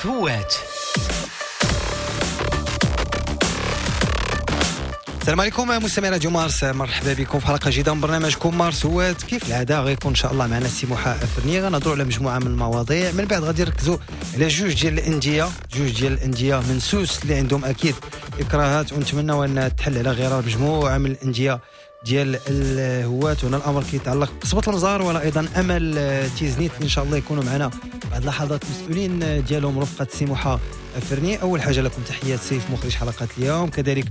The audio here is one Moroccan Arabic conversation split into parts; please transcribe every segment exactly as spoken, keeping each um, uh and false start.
مارس هوات. السلام عليكم مستمعي راديو مارس، مرحبا بكم في حلقة جديدة من برنامجكم مارس هوات. كيف العادة غيكون ان شاء الله معنا السي موحى افرني، غنهضروا على مجموعة من المواضيع. من بعد غادي نركزوا على جوج ديال الاندية، جوج ديال الاندية من سوس اللي عندهم اكيد اكراهات، ونتمناو ان تحل على غرار مجموعة من الاندية ديال الهوات. هنا الامر كيتعلق بقصبة المزار ولا ايضا امل تيزنيت، ان شاء الله يكونوا معنا بعد لحظات المسؤولين ديالهم رفقه السي موحى افرني. اول حاجة لكم تحيات سيف مخرج حلقات اليوم، كذلك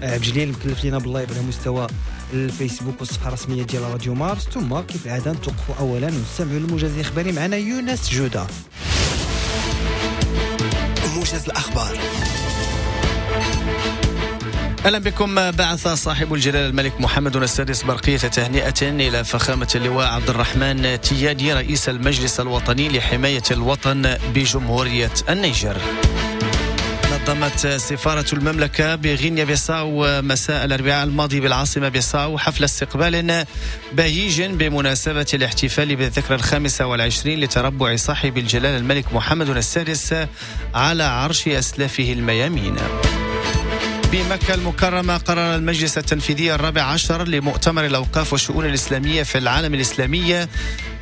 عبد الجليل مكلف لينا بال live على مستوى الفيسبوك والصفحة الرسمية ديال راديو مارس. ثم كيف العادة نتوقفوا اولا ونستمعوا للموجز الاخباري معنا يونس جوده. موجز الاخبار. أهلا بكم. بعث صاحب الجلالة الملك محمد السادس برقية تهنئة إلى فخامة اللواء عبد الرحمن تيادي رئيس المجلس الوطني لحماية الوطن بجمهورية النيجر. نظمت سفارة المملكة بغينيا بيساو مساء الأربعاء الماضي بالعاصمة بيساو حفل استقبال بهيج بمناسبة الاحتفال بالذكرى الخامسة والعشرين لتربع صاحب الجلالة الملك محمد السادس على عرش أسلافه الميامين. بمكة المكرمة قرر المجلس التنفيذي الرابع عشر لمؤتمر الأوقاف والشؤون الإسلامية في العالم الإسلامي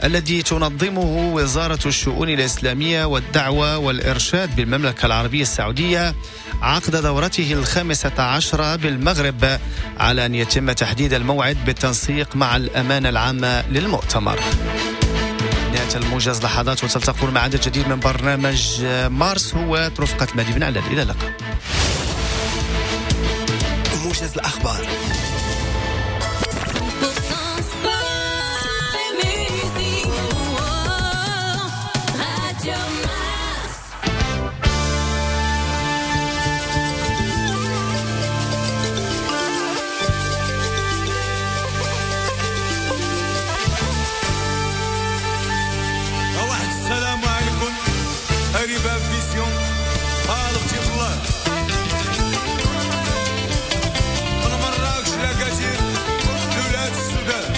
الذي تنظمه وزارة الشؤون الإسلامية والدعوة والإرشاد بالمملكة العربية السعودية عقد دورته الخامسة عشرة بالمغرب، على أن يتم تحديد الموعد بالتنسيق مع الأمانة العامة للمؤتمر. نهاية الموجز لحظات وتلتقون مع عدد جديد من برنامج مارس هو رفقة المهدي بن علال. إلى اللقاء. موجز الأخبار. واحد السلام عليكم قريبة فيسيون طالبتي الله مراكش لا كثير لولاد السودان.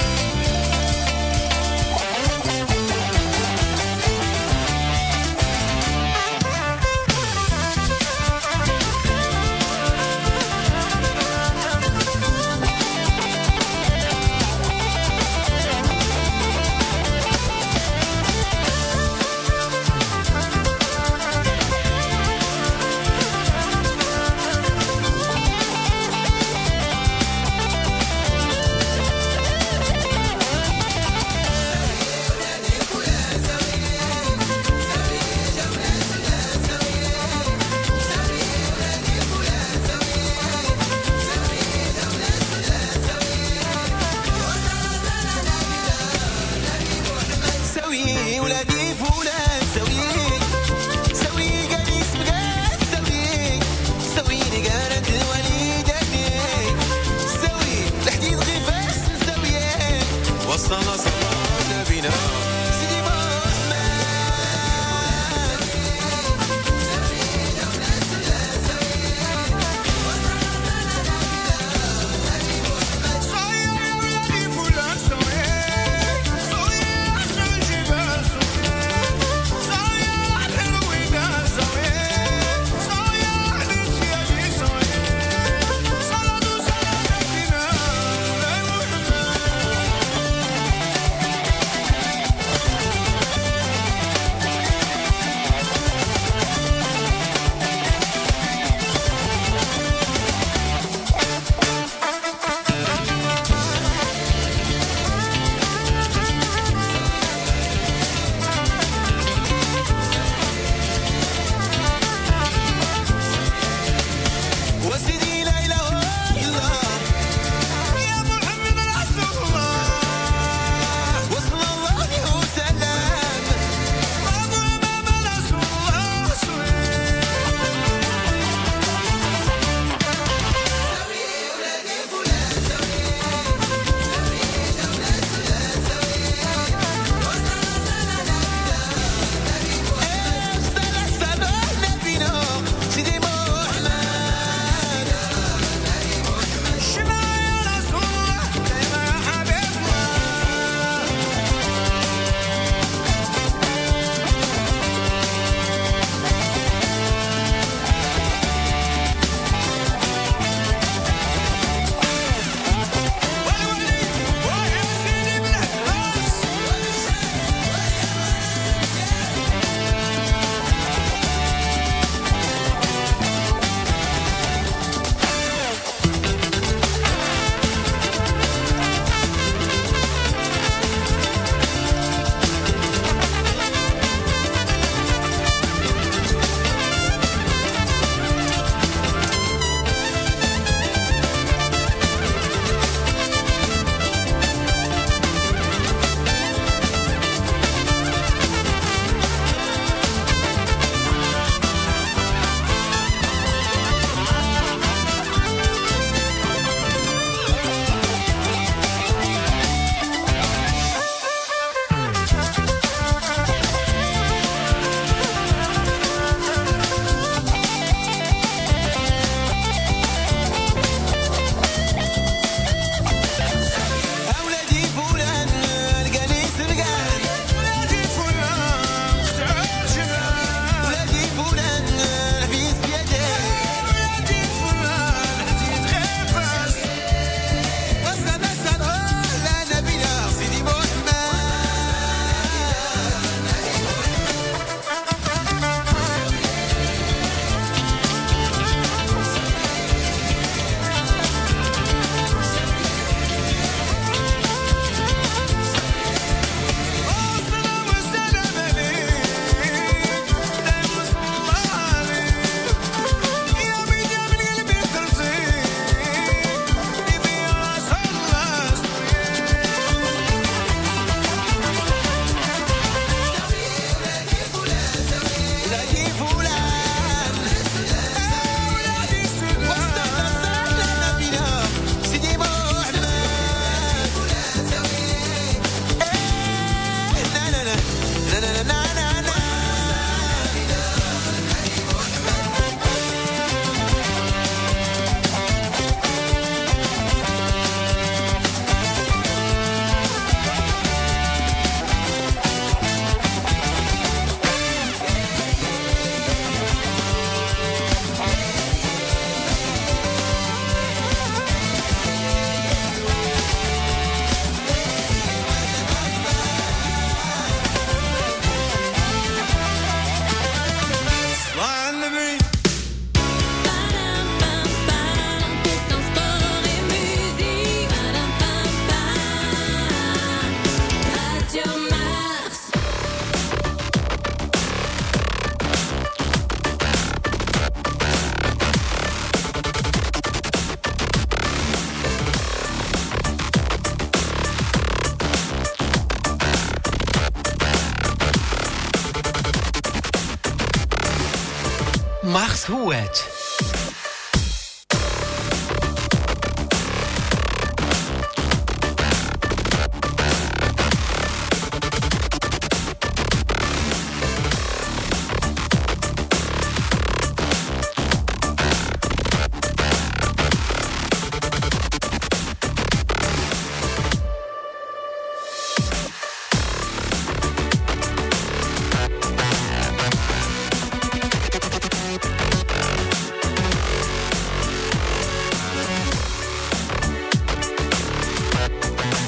مارس هوات.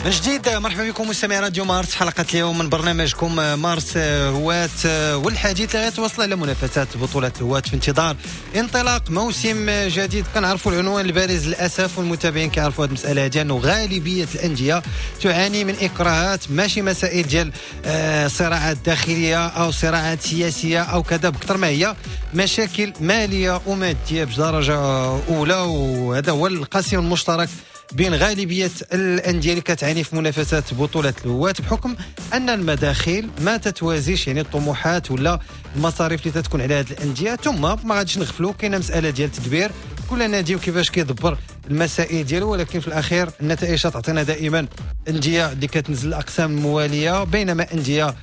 من جديد مرحبا بكم مستمعي راديو مارس، حلقة اليوم من برنامجكم مارس هوات، والحديث اللي غيتواصل على منافسات بطولة الهوات في انتظار انطلاق موسم جديد. كنعرفوا العنوان البارز للأسف، والمتابعين كيعرفوا هذه المسألة ديال أنه غالبية الأندية تعاني من إكراهات، ماشي مسائل ديال صراعات داخلية أو صراعات سياسية أو كذا، بكثر ما هي مشاكل مالية ومادية بدرجة أولى، وهذا هو القاسم المشترك بين غالبية الأندية اللي كتعاني في منافسات بطولة الهواة، بحكم أن المداخيل ما تتوازيش يعني الطموحات ولا المصاريف اللي تتكون على هذه الأندية. ثم ما غاديش نغفلوا كاينة مسألة ديال التدبير، كل نادي وكيفاش كيدبر المسائل ديالو، ولكن في الأخير النتائج تعطينا دائما أندية اللي كتنزل الأقسام الموالية، بينما أندية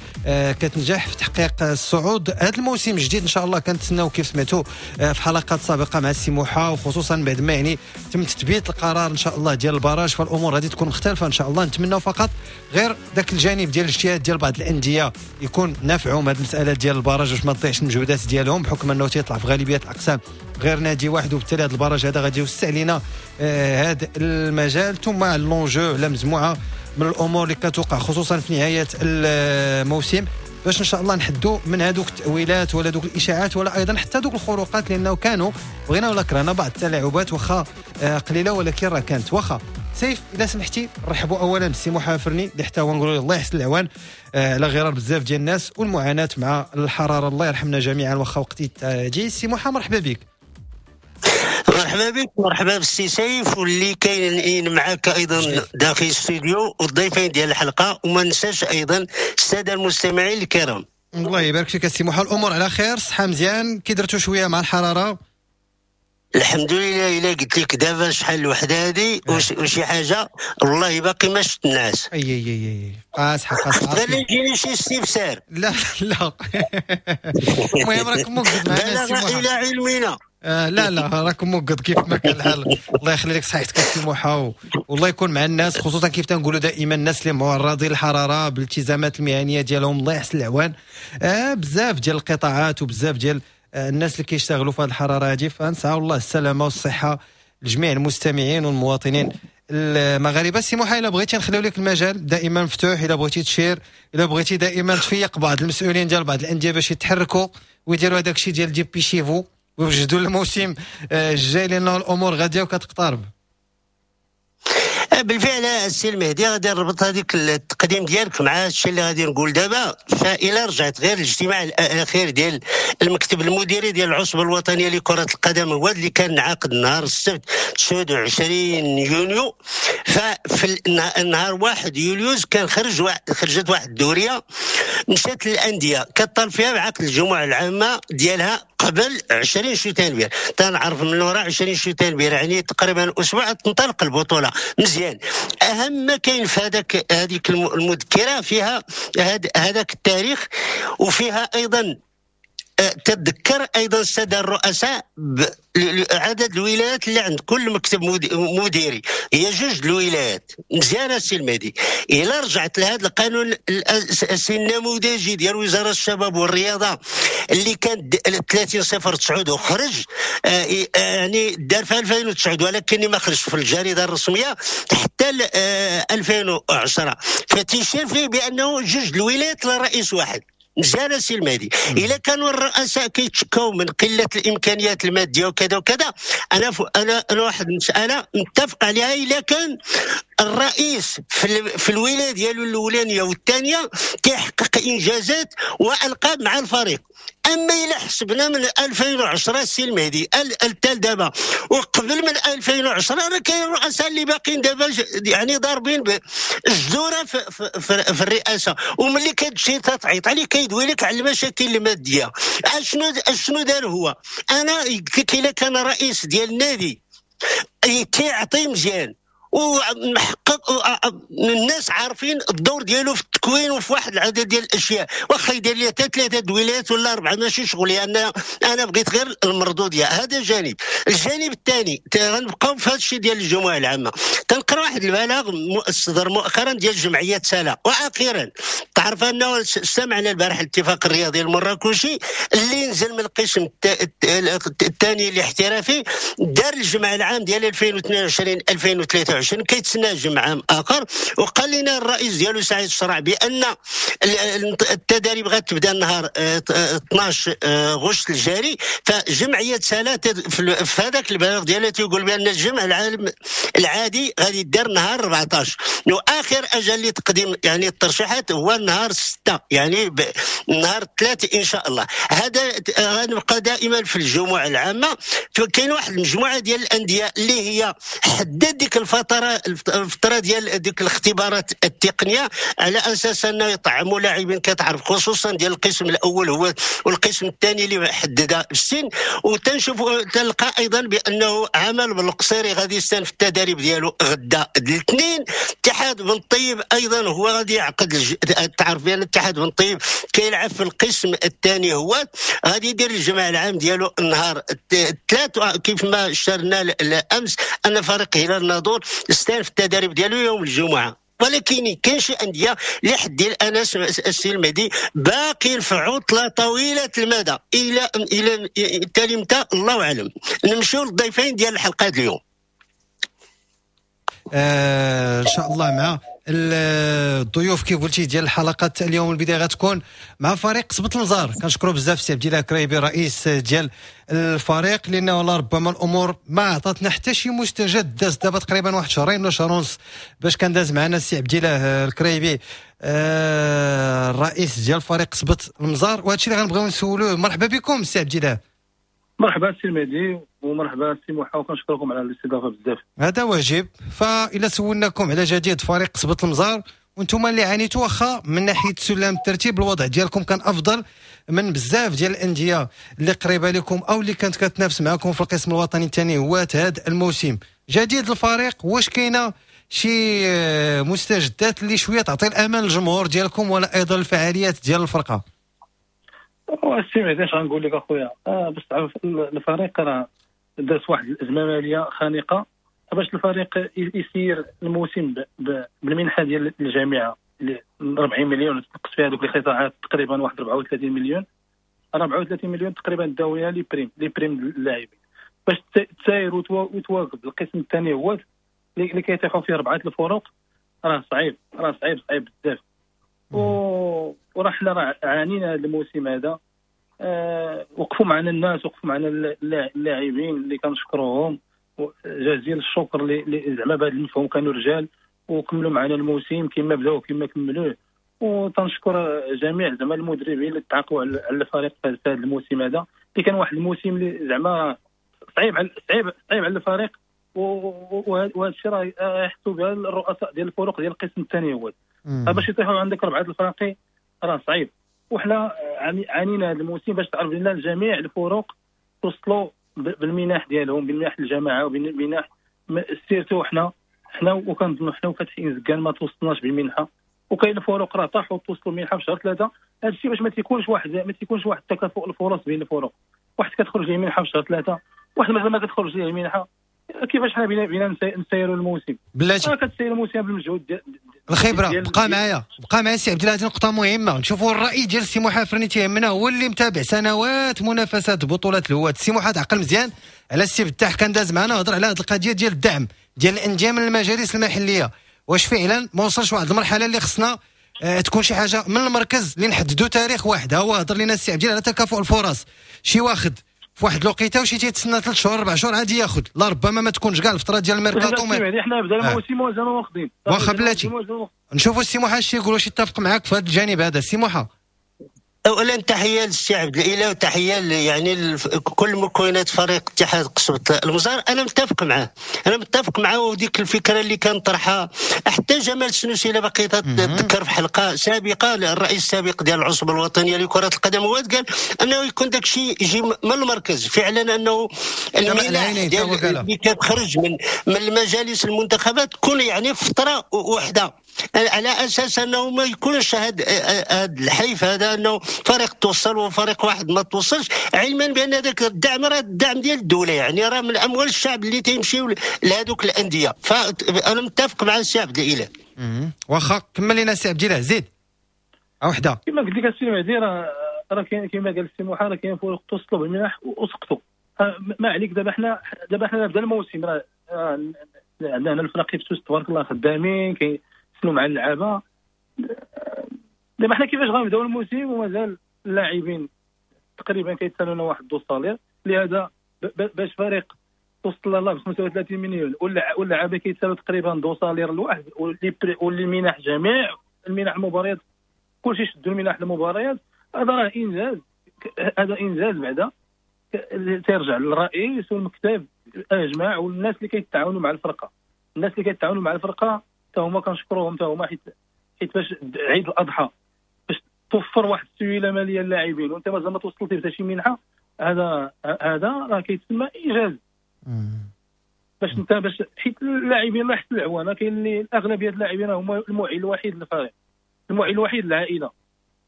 كتنجح في تحقيق الصعود. هذا الموسم الجديد إن شاء الله كنتسناو كيف سمعتوا في حلقات سابقة مع السي موحى، وخصوصا بعد ما يعني تم تثبيت القرار إن شاء الله ديال ال barrage، فالأمور غادي تكون مختلفة إن شاء الله. نتمناو فقط غير ذاك الجانب ديال الاجتهاد ديال بعض الأندية يكون نافعهم هذه المسألة ديال ال barrage باش ما تضيعش المجهودات ديالهم، بحكم أنه تيطلع في غالبية الأقسام غير نادي واحد، وبالتالي هذا ال barrage هذا غادي يوسع لنا هذا المجال. ثم l'enjeu على مجموعة من الامور اللي كتوقع خصوصا في نهاية الموسم، باش ان شاء الله نحدوا من هذوك التاويلات ولا دوك الاشاعات ولا ايضا حتى دوك الخروقات، لانه كانوا بغينا ولا كرهنا بعض التلاعبات واخا قليله ولكن راه كانت. واخا سيف الا سمحتي نرحبوا اولا بالسي موحى فرني اللي حتى هو نقولوا الله يحسن العوان على غرار بزاف ديال الناس والمعاناة مع الحرارة، الله يرحمنا جميعا واخا وقتي تجي. سي موحى مرحبا بك. مرحبا بك، مرحبا بالسي سيف واللي كاينين معاك ايضا داخل الاستوديو والضيفين ديال الحلقة، وما ننساش ايضا السادة المستمعين الكرام. الله يبارك فيك السي موحى، الامور على خير، صحة مزيان، كي درتو شوية مع الحرارة؟ الحمد لله. الا قلت لك دابا شحال الوحدة هذه وشي حاجة والله باقي ما شفت الناس. اي اي اي قاصحة قاصحة، غير يجيني شي استفسار. لا لا المهم راكم موجود معنا السي موحى. الى علمنا آه لا لا راكم موقد كيف ما كان الحال. الله يخلي لك صحتك السي موحى، والله يكون مع الناس، خصوصا كيف تنقولوا دائما الناس اللي معرضين للحرارة بالالتزامات المهنية ديالهم، الله يحسن العوان. آه بزاف ديال القطاعات وبزاف ديال آه الناس اللي كيشتغلوا في هذه الحرارة هذه، فنسعوا الله السلامة والصحة لجميع المستمعين والمواطنين المغاربة. السي موحى الا بغيتي نخليو لك المجال دائما مفتوح، الا بغيتي تشير، الا بغيتي دائما تفيق بعض المسؤولين ديال بعض الاندية باش يتحركوا ويديروا هذاك الشيء ديال dépêchez-vous ويوجدوا الموسم الجاي، لأن الأمور غادية وكتقترب. بالفعل السي المهدي غادي نربط هذيك التقديم ديالك مع الشيء اللي غادي نقول دابا. فإلا رجعت غير الاجتماع الاخير ديال المكتب المديري ديال العصبة الوطنية لكرة القدم هو اللي كان عاقد نهار السبت تسعة وعشرين يونيو، ففي النهار واحد يوليوز كان خرج واحد خرجت واحد الدورية مشات للاندية كطال فيها بعقد الجمعة العامة ديالها قبل عشرين شتنبير. تنعرف من وراء عشرين شتنبير يعني تقريبا اسبوع تنطلق البطولة مزيان. اهم ما كاين في هذاك هذيك المذكرة فيها هذاك التاريخ، وفيها ايضا تتذكر ايضا السادة الرؤساء عدد الولايات اللي عند كل مكتب مديري، هي جوج الولايات. مزيان السي المهدي. الا رجعت لهذا القانون الاساسي النموذجي ديال وزارة الشباب والرياضة اللي كان ثلاثين صفر تسعة وخرج يعني دار في ألفين وتسعة، ولكن ما خرج في الجريدة الرسمية حتى ألفين وعشرة، فتيشير فيه بانه جوج الولايات لرئيس واحد. مزيان السي المهدي. الا كانوا الرؤساء كيتشكاو من قلة الامكانيات المادية وكذا وكذا، انا ف... انا انا واحد المسالة متفق عليها، الا كان الرئيس في, ال... في الولاية ديالو الاولانية والثانية كيحقق انجازات والقاب مع الفريق، اما الا حسبنا من ألفين وعشرة السي المهدي التال دابا وقبل من ألفين وعشرة راه كاين رؤساء اللي باقيين دابا يعني ضاربين الجذوره في, في, في, في الرئاسة، وملي كتمشي تعيط عليه كيدوي لك على المشاكل المادية. اشنو اشنو دار هو؟ انا قلت لك الا كان رئيس ديال النادي تيعطي مزيان ومحقق، الناس عارفين الدور ديالو في التكوين وفي واحد العدد ديال الاشياء، واخا يدير لي حتى ثلاثة دويلات ولا اربعة ماشي شغلي، انا انا بغيت غير المردوديه. هذا جانب. الجانب الثاني غنبقاو في هذا الشيء ديال الجمعية العامة. تنقرا واحد البلاغ صدر مؤخرا ديال جمعية سلا، واخيرا تعرف انه سمعنا البارح الاتفاق الرياضي المراكشي اللي نزل من القسم الثاني الاحترافي، دار الجمع العام ديال ألفين واثنين وعشرين ألفين وثلاثة وعشرين كيتسنى جمع عام اخر، وقال لنا الرئيس ديالو سعيد الشرع بان التدريب غتبدا النهار اثناش غشت الجاري. فجمعيه سلا في هذاك البلاغ ديالها تيقول بان الجمع العام العادي غادي يدار نهار أربعطاش، واخر اجل لتقديم يعني الترشيحات هو النهار ستة، يعني نهار ثلاثة ان شاء الله. هذا غنبقى دائما في الجموع العامة. كاين واحد المجموعة ديال الاندية اللي هي حدد ديك الفترة الفترة ديال ديك الاختبارات التقنية على اساس انه يطعموا لاعبين كتعرف، خصوصا ديال القسم الاول هو والقسم الثاني اللي حددها السن. وتنشوفوا تلقى ايضا بانه عمل بالقصيري غادي يستأنف التدريب ديالو غدا الاثنين. اتحاد بن طيب ايضا هو غادي يعقد الج... تعرف بان اتحاد بن طيب كيلعب في القسم الثاني، هو غادي يدير الجمع العام ديالو النهار الثلاث، كيف ما شرنا الامس ان فريق هلال الناظور استأنف التدريب ديالو يوم الجمعة. ولكن كاين شي اندية لحد الان السي المهدي باقي في عطله طويلة المدى الى الى التالي متى الله اعلم. نمشيو للضيفين ديال الحلقات اليوم آه ان شاء الله مع الضيوف كيف قلتي ديال الحلقات اليوم. البداية غتكون مع فريق قصبة المزار. كنشكروا بزاف سي عبد الله كريبي رئيس ديال الفريق، لانه ربما الامور ما عطاتنا حتى شي مستجد. داز دابا تقريبا واحد شهرين ولا شهر ونص باش كان داز معنا السي عبد الله الكريبي آه الرئيس ديال فريق قصبة المزار، وهذا الشيء اللي غنبغيو نسولوه. مرحبا بكم سي عبد الله. مرحبا سي المهدي ومرحبا سي موحى، وكنشكركم على الاستضافة بزاف. هذا واجب. فإلا سولناكم على جديد فريق قصبة المزار وانتم اللي عانيتوا، واخا من ناحية سلم الترتيب الوضع ديالكم كان افضل من بزاف ديال الاندية اللي قريبه لكم او اللي كانت كتنافس معكم في القسم الوطني الثاني هو هذا الموسم. جديد الفريق، واش كاينه شي مستجدات اللي شوية تعطي الامان للجمهور ديالكم ولا ايضا الفعاليات ديال الفرقة؟ السي مهدي اش غنقول لك اخويا، آه باش تعرف الفريق راه داز واحد الازمة ماليه خانقه باش الفريق يسير الموسم بالمنحه ديال الجامعة اللي أربعين مليون تنقص فيها دوك القطاعات تقريبا واحد أربعة وثلاثين مليون، أربعة وثلاثين مليون تقريبا داويها les primes les primes للاعبين باش تساير وتواكب القسم الثاني هو اللي كيتيحوا فيه اربعة الفرق. راه صعيب، راه صعيب صعيب بزاف. و وراه حنا راه عانينا هذا الموسم هذا. أه وقفوا معنا الناس، وقفوا معنا اللاعبين اللي كنشكروهم جزيل الشكر اللي زعما بهذا المفهوم كانوا رجال وكملوا معنا الموسم كما بداو كما كملوه. وتنشكر جميع زعما المدربين اللي تعاقبوا على الفريق في هذا الموسم هذا اللي كان واحد الموسم اللي زعما صعيب على صعيب صعيب على الفريق. وهذا الشيء راه يحسوا بها الرؤساء ديال الفرق ديال القسم الثاني هو باش يطيحوا عندك اربعة الفراقي راه صعيب. وحنا عانينا هذا الموسم باش تعرف لنا جميع الفرق توصلوا بالمنح ديالهم، بالمنح الجماعة وبالمنح surtout حنا حنا وكنظنوا حنا وفتح انزكان ما توصلناش بالمنحه، وكاين الفرق راه طاحوا توصلوا المنحة في شهر ثلاثة. هذا الشيء باش ما تيكونش واحد ما تيكونش واحد التكافؤ الفرص بين الفرق، واحد كتخرج ليه منحه في شهر ثلاثة، واحد مازال ما كتخرج ليه المنحة. كيفاش حنا بينا بينا نسيروا الموسم؟ بلاتي كتسير الموسم بالمجهود ديال الخبرة. بقى معايا بقى معايا سي عبد الله، هذه نقطة مهمة. نشوفوا الراي ديال سي موحى فرني تيهمنا، هو اللي متابع سنوات منافسات بطولات الهواة. سي موحى تعقل مزيان على السي فتاح كان داز معنا هضر على هذه القضية ديال الدعم ديال الاندية من المجالس المحلية. واش فعلا ما وصلش واحد المرحلة اللي خصنا اه تكون شي حاجة من المركز اللي نحددوا تاريخ واحد؟ هو هضر لنا السي عبد الله على تكافؤ الفرص، شي واخد في واحد الوقيته وشي تيتسنى ثلاث شهور اربع شهور عادي ياخذ، لا ربما ما تكونش كاع الفترة ديال الميركاتو. يعني حنا بدا الموسم مازال واخدين. واخا بلاتي نشوفوا السي موحى اش تيقول، واش يتفق معاك في هذا الجانب هذا السي موحى؟ اولا تحية للسي عبد الاله وتحية يعني كل مكونات فريق اتحاد قصبة المزار. انا متفق معاه، انا متفق معاه، وديك الفكرة اللي كان طرحها حتى جمال السنوسي الا بقيت تذكر في حلقة سابقه الرئيس السابق ديال العصبة الوطنية لكرة القدم، هو قال انه يكون داك الشيء يجي من المركز فعلا، انه المنح ديال اللي كتخرج من من المجالس المنتخبات تكون يعني فترة واحدة، على اساس انه ما يكونش هذا هذا الحيف هذا، انه فريق توصل وفريق واحد ما توصلش، علما بان هذاك الدعم راه الدعم ديال الدولة، يعني راه من اموال الشعب اللي تيمشيو لهذوك الاندية. فانا متفق مع السي عبد الاله. واخا كمل لنا السي عبد الاله، زيد وحده. كما قلت لك السي مهدي راه راه كاين كما قال السي موحى راه كاين فرق توصلوا بالمنح وسقطوا. ما عليك دابا حنا دابا حنا بدا الموسم، راه عندنا هنا الفراقي في سوس تبارك الله خدامين كيسنوا مع اللعابه. دابا حنا كيفاش غنبداو الموسم ومازال اللاعبين تقريبا كيتسالونا واحد deux salaires، لهذا باش فريق توصل الله ب خمسة وثلاثين مليون واللعابه كيتسالوا تقريبا deux salaires الواحد، واللي منح جميع المنح المباريات كلشي شدوا المنح المباريات. هذا راه انجاز، هذا انجاز بعدا تيرجع للرئيس والمكتب اجمع والناس اللي كيتعاونوا مع الفرقة. الناس اللي كيتعاونوا مع الفرقة حتى هما كنشكروهم حتى هما، حيت حيت باش عيد الاضحى باش توفر واحد السيولة ماليه للاعبين وانت مازال ما توصلتي حتى شي منحه، هذا هذا راه كيتسمى انجاز. باش انت باش حيت اللاعبين الله يحسن العوانه، كاين اللي الاغلبية اللاعبين هما المعين الوحيد للفريق، المعين الوحيد للعائلة،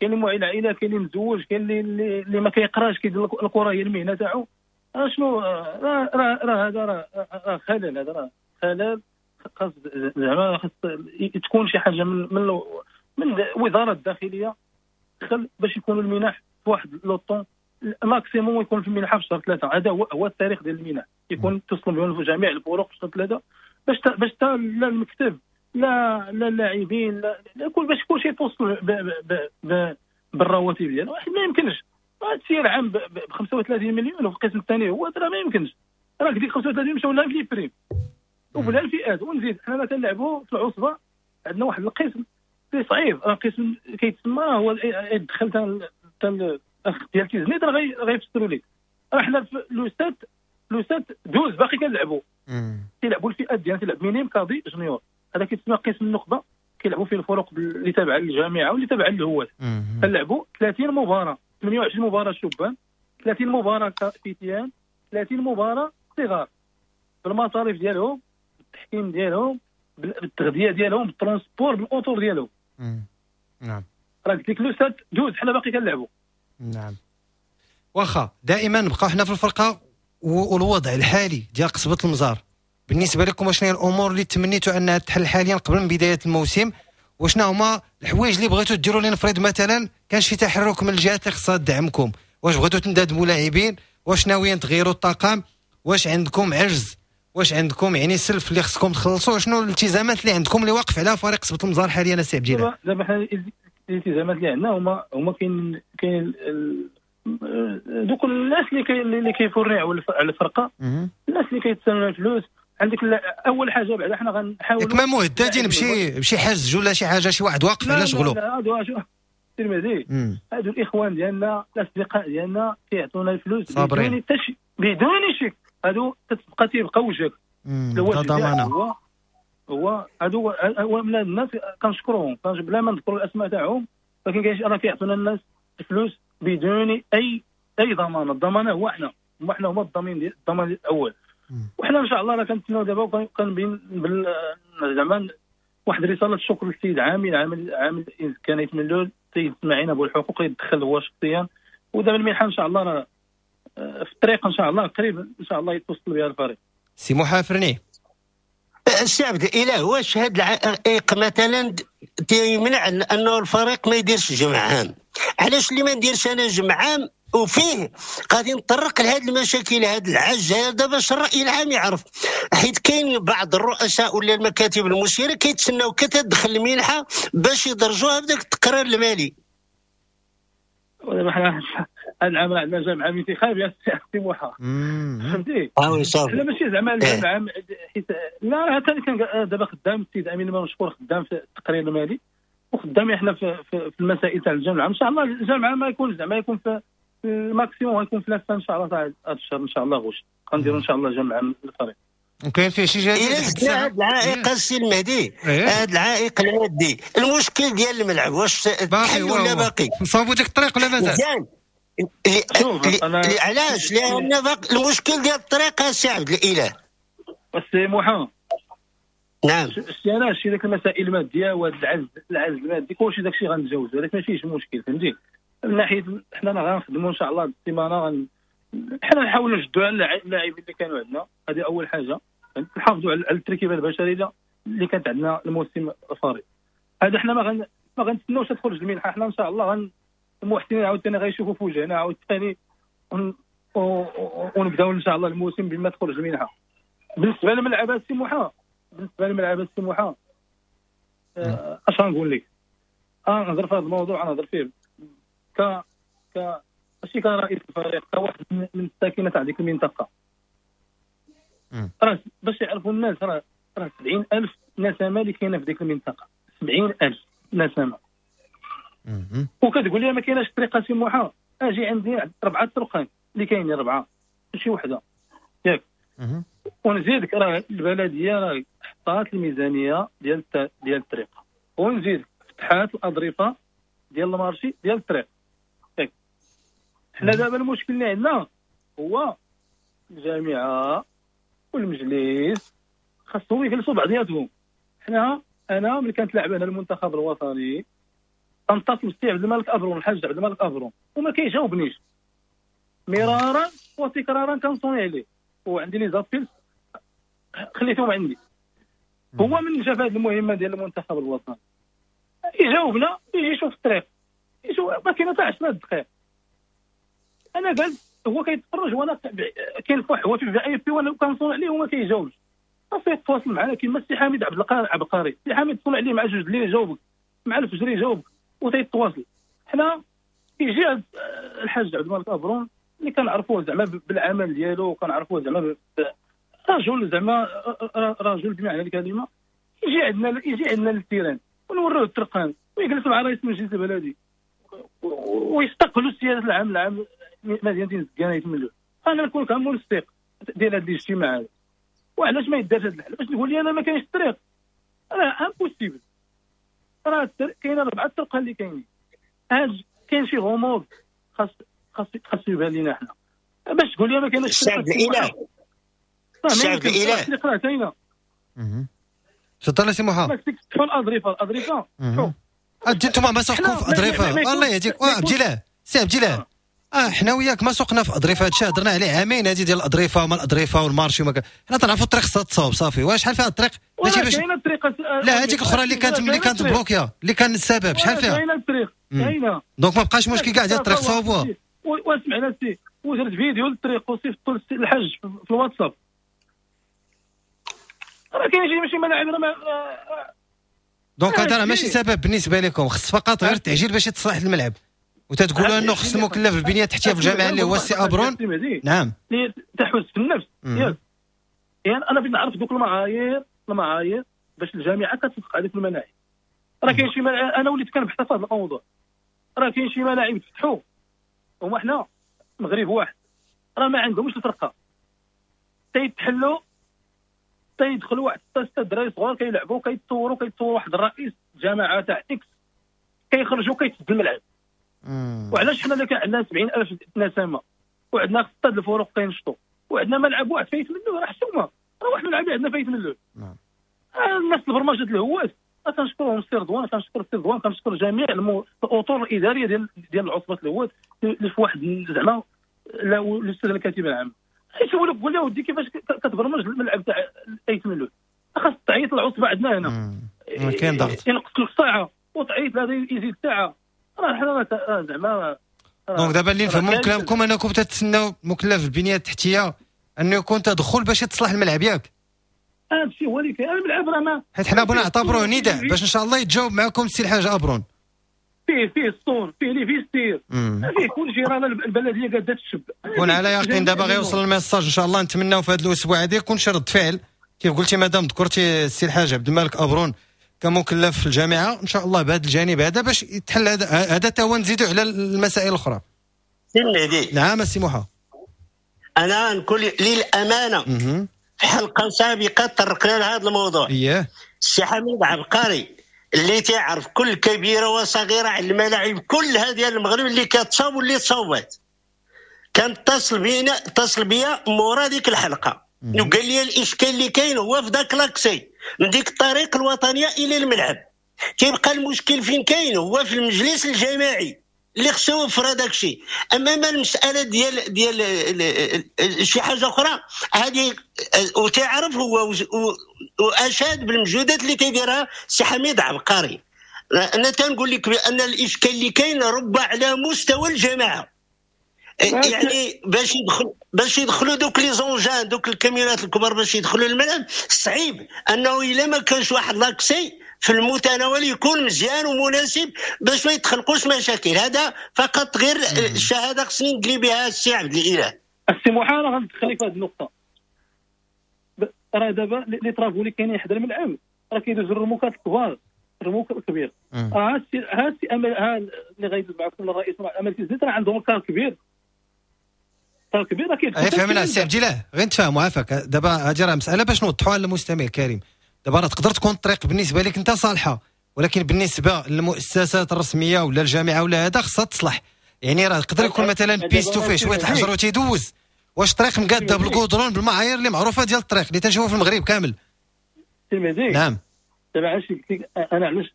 كاين المعين العائلة، كاين اللي مزوج، كاين اللي اللي ما كيقراش كيدير الكره هي المهنة تاعو. شنو راه راه هذا راه خلل، هذا راه خلل، خاص زعما خاص تكون شي حاجة من من من وزارة الداخلية تدخل باش يكونوا المنح في واحد le temps maximum، يكون في المنحة في شهر ثلاثة. هذا هو هو التاريخ ديال المنح، يكون تصل بهم جميع الفروق في شهر ثلاثة، باش باش لا المكتب لا لا اللاعبين لا كل باش كلشي يتوصل بالرواتب ديالو. واحد ما يمكنش تسير عام ب خمسة وثلاثين مليون وفي القسم الثاني هو راه ما يمكنش، راه ديك خمسة وثلاثين مشاو لها في les primes وبلا الفئات. ونزيد حنا تنلعبوا في العصبة عندنا واحد القسم اللي صعيب، راه قسم كيتسمى هو يدخل تا الاخ ديال تيزنيت راه غيفسروا لك. راه حنا في le sept le sept douze باقي كنلعبوا، تيلعبوا الفئات ديالنا، تيلعب minimes cadets juniors، هذا كيتسمى قسم النخبة، كيلعبوا فيه الفرق اللي تابعه للجامعة واللي تابعه للهواة. كنلعبوا ثلاثين مباراة، ثمانية وعشرين مباراة شبان، ثلاثين مباراة فتيان، ثلاثين مباراة صغار، بالمصاريف ديالهم، بالتحكيم ديالهم، بالتغذية ديالهم، بال transport، بال auto ديالهم. نعم راه قلت لك le sept douze حنا باقي كنلعبوا. نعم واخا دائما نبقاو حنا في الفرقة والوضع الحالي ديال قصبة المزار بالنسبة لكم، شنو هي الامور اللي تمنيتوا انها تحل حاليا قبل من بداية الموسم، وشنو هما الحوايج اللي بغيتوا ديروا؟ لنفرض مثلا كان شي تحرك من الجهات اللي خصها تدعمكم، واش بغيتوا تندادموا لاعبين، واش ناويين تغيروا الطاقم، واش عندكم عجز، واش عندكم يعني سلف اللي خصكم تخلصوا، شنو الالتزامات اللي عندكم اللي واقف عليها فريق قصبة المزار حاليا السي عبد الجلال؟ دابا حنا الالتزامات اللي عندنا هما هما كاين كاين دوك الناس اللي كي اللي كيفرعوا على الفرقة، الناس اللي كيتسالوا الفلوس. عندك اول حاجة بعدا حنا غنحاولوا ما مهددين بشي بشي حجز ولا شي حاجة، شي واحد واقف على شغله. لا هادو المهدي هادو الاخوان ديالنا الاصدقاء ديالنا كيعطونا الفلوس بدون تش... بدون شك، هادو تتبقى تيبقى وجهك ضمانه. هو هو هادو هو من الناس كنشكرهم بلا ما نذكروا الاسماء تاعهم، ولكن كاين راه كيعطونا الناس الفلوس بدون اي اي ضمانه. الضمانة هو حنا، هما حنا هما الضامن ديال الضمان الاول. وحنا ان شاء الله راه كنتسناو دابا وكنبين زعما واحد رسالة شكر للسيد عامل عامل عامل كان يتملول السيد اسماعيل ابو الحقوق يدخل هو شخصيا، ودابا المنحة ان شاء الله راه في الطريق ان شاء الله قريب ان شاء الله يتوصل بها الفريق. سي محافرني السي عبد الاله، واش هاد العائق مثلا تيمنع انه الفريق ما يديرش جمع عام؟ علاش اللي ما نديرش انا جمع عام وفيه غادي نطرق لهاد المشاكل هاد العجز هذا باش الراي العام يعرف؟ حيت كاين بعض الرؤساء ولا المكاتب المسيرة كيتسناو كتدخل المنحة باش يدرجوها بداك التقرير المالي. ودابا حنا هاد العام راه عندنا جمع عام انتخابي السي موحى، فهمتي؟ اه oui صافي. لا ماشي زعما الجمع عام، حيت لا راه ثاني كان دابا خدام السيد امين مشكور خدام في التقرير المالي، وخدامين حنا في, في, في المسائل تاع الجامعة. ان شاء الله الجامعة ما يكون زعما يكون في ال maximum غيكون في la fin ان شاء الله تاع هذا الشهر ان شاء الله غوش غنديروا ان شاء الله جامعه الفريق. وكاين فيه شي جديد هذا العائق السي المهدي، هذا العائق المادي، المشكل ديال الملعب واش باقي ولا باقي؟ نصاوبوا ديك الطريق ولا مازال؟ مزيان. علاش؟ لان المشكل ديال الطريق السي عبد الاله. السي محمد. نعم. شتي انا شتي داك المسائل المادية وهذا العجز العجز المادي كلشي داكشي غنتجاوزو، ولكن ما فيهش مشكل فهمتي. من ناحية حنا غنخدموا ان شاء الله السيمانة، غن حنا نحاولوا نشدوا على اللاعبين اللي كانوا عندنا، هذه اول حاجة، نحافظوا على التركيبة البشرية اللي كانت عندنا الموسم الفارط. هذا حنا ما غن ما غنتسناوش تخرج المنحة، حنا ان شاء الله غن المحسنين عاوتاني غيشوفوا في وجهنا عاوتاني ونبداو ان شاء الله الموسم بما تخرج المنحة. بالنسبة للملعب السموحه، بالنسبة للملعب السموحه اش غنقول لك؟ انا نهضر في هذا الموضوع، انا نهضر فيه ك ك ماشي كرئيس الفريق، كواحد من الساكنة تاع ديك المنطقة. راه باش يعرفوا الناس راه راه سبعين ألف نسمه اللي كاينه في ديك المنطقة، سبعين ألف نسمه. وكتقول لي ما كايناش طريقه سموحه، اجي عندي اربعة طرقان اللي كاينين، اربعة ماشي وحده ياك. ونزيدك راه البلدية راه حطات الميزانية ديال ديال الطريق، ونزيدك فتحات الاظرفه ديال ال marché ديال الطريق ياك. حنا دابا المشكل اللي عندنا هو الجامعة والمجلس خاصهم يجلسوا بعضياتهم. حنا انا ملي كانت لاعب انا المنتخب الوطني كنتصل بالسي عبد الملك ابرون، الحاج عبد الملك ابرون، وما كيجاوبنيش مرارا وتكرارا، كنصوني عليه وعندي les appels خليتهم عندي. هو من شاف هذه المهمة ديال المنتخب الوطني يجاوبنا، يجي يشوف الطريق، يشوف ما كاين حتى عشرة دقائق. انا قال هو كيتفرج وانا كاين فواحد هو في VIP وانا كنصون عليه وما كيجاوبش. صافي تواصل معنا كيما السي حميد عبد العبقري، السي حميد تصون عليه مع جوج الليل يجاوبك، مع الفجر يجاوبك وتيتواصل. حنا يجي الحاج عبد الملك ابرون اللي كنعرفوه زعما بالعمل ديالو، وكنعرفوه زعما رجل زعما رجل بمعنى الكلمة، يجي عندنا يجي عندنا لل terrain ونوروه الطرقان ويجلس مع رئيس المجلس البلدي ويستقبلوا السيادة العام العام مدينة زكانه يتملوا. انا نكون كمنسق ديال هذا الاجتماع هذا. وعلاش ما يدارش هذا الحل؟ باش تقول لي انا ما كاينش الطريق، راه impossible. راه كاينه اربعة الطرق اللي كاينين، هاد كاين شي غموض خاص خاص خاص يبان لينا حنا. باش تقول لي ما كاينش الطريق. الشعب الشعب الاله الطريق راه كاينه. تفضل سي محمد. تفتحوا الاظرفه، الاظرفه انتم ما سوقكم في اظرفه، الله يهديك. عبد الله، سي عبد الله، اه حنا وياك ما سوقنا في اظرفه، هادشي هضرنا عليه عامين هادي ديال الاظرفه وما الاظرفه وال marché وما. حنا تنعرفوا الطريق خصها تصاوب صافي. واش شحال فيها الطريق؟ كاينه الطريق، لا هذيك الاخرى اللي كانت ملي كانت bloquée اللي كان السبب شحال فيها؟ كاينه الطريق كاينه، donc ما بقاش مشكل كاع ديال الطريق صاوبوها. واسمعنا سي، ودرت فيديو للطريق وصيفطو للحاج في الواتساب. راه كاين شي ماشي ملاعب راه. donc هذا راه ماشي سبب بالنسبة لكم، خص فقط غير التعجيل باش يتصلح الملعب. وتتقولوا انه خص المكلف بالبنيه التحتية في الجامعة اللي هو السي ابرون. نعم، اللي تحوز في النفس ياك. يعني انا بغيت نعرف دوك المعايير، المعايير باش الجامعة كتوافق على ديك الملاعب. راه كاين شي ملاعب، انا وليت كنبحث في هذا الموضوع، راه كاين شي ملاعب فتحوا هما حنا مغرب واحد راه ما عندهمش الفرقة، تيتحلوا تيدخلوا واحد ستة دراري صغار كيلعبوا كيتصوروا كيتصوروا واحد الرئيس جماعة تاع X كيخرجوا كيتسد الملعب. وعلاش حنا اللي كان عندنا سبعين ألف نسمه وعندنا ستة الفروق كينشطوا وعندنا ملعب واحد فايت منه، راه حشومه، راه واحد الملعب عندنا فايت منه. نعم. الناس البرمجة الهواة كنشكرهم السي رضوان، كنشكر السي رضوان، كنشكر جميع الاطر الادارية ديال ديال عصبه الهواة اللي في واحد زعما لا الاستاذ الكاتب العام يسولوك قول له ودي كيفاش كتبرمج الملعب تاع ايت ملول، خاص تعيط العصبة عندنا هنا كاين ضغط ينقص لك ساعة وتعيط لهذا يزيد ساعة. راه حنا زعما donc دابا اللي نفهموا من كلامكم انكم تتسناو مكلف البنية التحتية انه يكون تدخل باش يتصلح الملعب ياك؟ هذا الشيء هو اللي كاين. الملعب راه ما حيت حنا بغينا نعتبروه نداء باش ان شاء الله يتجاوب معكم السي الحاج ابرون. فيه فيه الصور، فيه les vestiaires، فيه كل شيء. راه البلدية قاده تشب. كون على يقين دابا غيوصل ال message ان شاء الله. نتمناو في هذا الاسبوع هذا يكون شي رد فعل كيف قلتي مادام ذكرتي السي الحاج عبد الملك ابرون كمكلف في الجامعة ان شاء الله بهذا الجانب هذا باش يتحل هذا هذا حتى هو، نزيدوا على المسائل الاخرى. سي المهدي. نعم السي موحى. انا نقول للامانة في حلقة سابقه تطرقنا لهذا الموضوع. اييه. السي حميد عبقري اللي تعرف كل كبيرة وصغيره على الملاعب كلها ديال المغرب اللي كتصاوب واللي تصوبات، كان اتصل بينا اتصل بيا مورا ديك الحلقة وقال لي الاشكال اللي كاين هو في داك l'accès من ديك الطريق الوطنية الى الملعب. كيبقى المشكل فين كاين؟ هو في المجلس الجماعي اللي خصو يوفر هذاك الشيء. اما المسالة ديال ديال شي حاجة اخرى هذه، وتعرف هو واشاد بالمجهودات اللي تيديرها السي حميد عبقري. انا تنقول لك بان الاشكال اللي كاين ربما على مستوى الجماعة، يعني باش يدخل باش يدخلوا دوك les engins دوك الكاميرات الكبار باش يدخلوا الملعب صعيب، انه الا ما كانش واحد l'accès في المتناول يكون مزيان ومناسب باش ما يتخلقوش مشاكل. هذا فقط غير الشهادة خصني ندلي بها السي عبد الاله. السي موحى راه غندخل في هذه النقطة. راه دابا les travaux اللي كاينين حدا الملعب راه كيدوزوا الرموكات الكبار، الرموك الكبير. ها السي ها السي امل ها اللي غيدوز معكم الرئيس امل تيزيد راه عندهم car كبير، car كبير راه كيدخل. فهمنا السي عبد الاله، غير نتفاهموا عافاك. دابا هذه راه مسالة باش نوضحوها للمستمع الكريم. دابا راه تقدر تكون الطريق بالنسبة لك انت صالحه، ولكن بالنسبة للمؤسسات الرسمية ولا الجامعة ولا هذا خصها تصلح. يعني راه يقدر يكون مثلا piste وفيه شوية الحجر وتيدوز، واش طريق مقاده بالكودرون بالمعايير اللي معروفة ديال الطريق اللي تنشوفوا في المغرب كامل. نعم. دابا علاش قلت لك انا علاش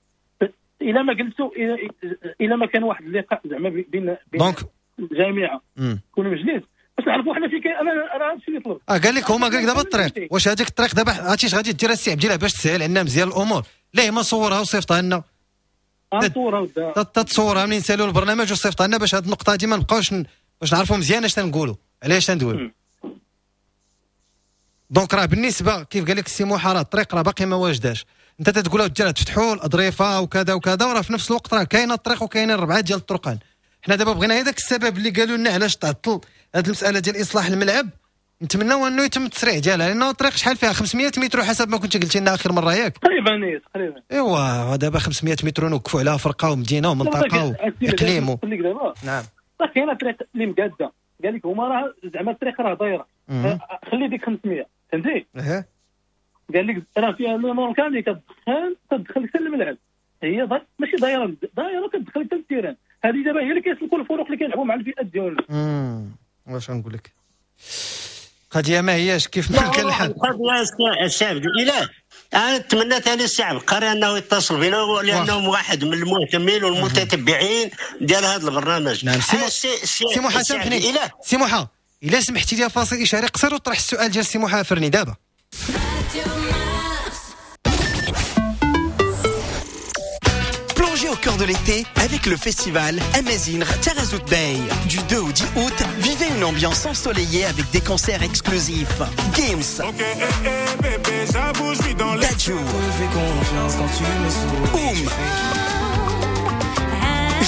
الا ما قلتو الا ما كان واحد اللقاء زعما بين بين الجامعة كل مجلس باش نعرفوا حنا فين كاين. انا انا هادشي اللي طلبت. اه قال لك هما قال لك دابا الطريق، واش هذيك الطريق دابا عرفتي اش غادي دير السي عبد الله باش تسهل عندنا مزيان الامور؟ لا ما صورها وصيفطها لنا. صورها تتصورها منين نسالوا البرنامج وصيفطها لنا باش هاد النقطة هادي ما نبقاوش باش نعرفوا مزيان اش تنقولوا علاش تندويو. donc راه بالنسبة كيف قال لك السي موحى راه الطريق راه باقي ما واجداش. انت تتقول اودي راه تفتحوا الاظرفه وكذا وكذا، وراه في نفس الوقت راه كاينه الطريق وكاينين ربعه ديال الطرقان. حنا دابا بغينا هذاك السبب اللي قالوا لنا علاش تعطل هذه المسالة ديال اصلاح الملعب، نتمناو انه يتم التسريع ديالها، لانه الطريق شحال فيها خمسمية متر حسب ما كنت قلتي لنا اخر مرة، ياك؟ تقريبا تقريبا. ايوا دابا خمسمية متر نوقفوا عليها فرقه ومدينة ومنطقة واقليم و... نعم. راه كاينه طريق اللي مقاده، قال لك هما راه زعما الطريق راه دايرة، خلي ديك خمسمية فهمتي؟ اها. قال لك راه فيها لو كان اللي كتدخل تدخل حتى الملعب، هي ماشي دايرة دايرة كتدخل حتى ال terrain. هذه دابا هي اللي كيسلكوا الفرق اللي كيلعبوا مع الفئات ديالنا. امم واش غنقول لك، قضية ما هياش كيف ما كان الحال. القضية السي عبد الاله، انا نتمنى ثاني السي عبقري انه يتصل بنا لانه واحد من المهتمين والمتتبعين ديال هذا البرنامج. نعم. سي موحى سامحني سي موحى، الا سمحتي لي فاصل اشاري قصير وطرح السؤال ديال سي موحى فرني دابا. Plongez au cœur de l'été avec le festival Amazigh Taghazout Bay. Du deux au dix août, vivez une ambiance ensoleillée avec des concerts exclusifs. Games, okay, eh, eh, bébé, j'avoue, je suis dans les... Dadju, Oum,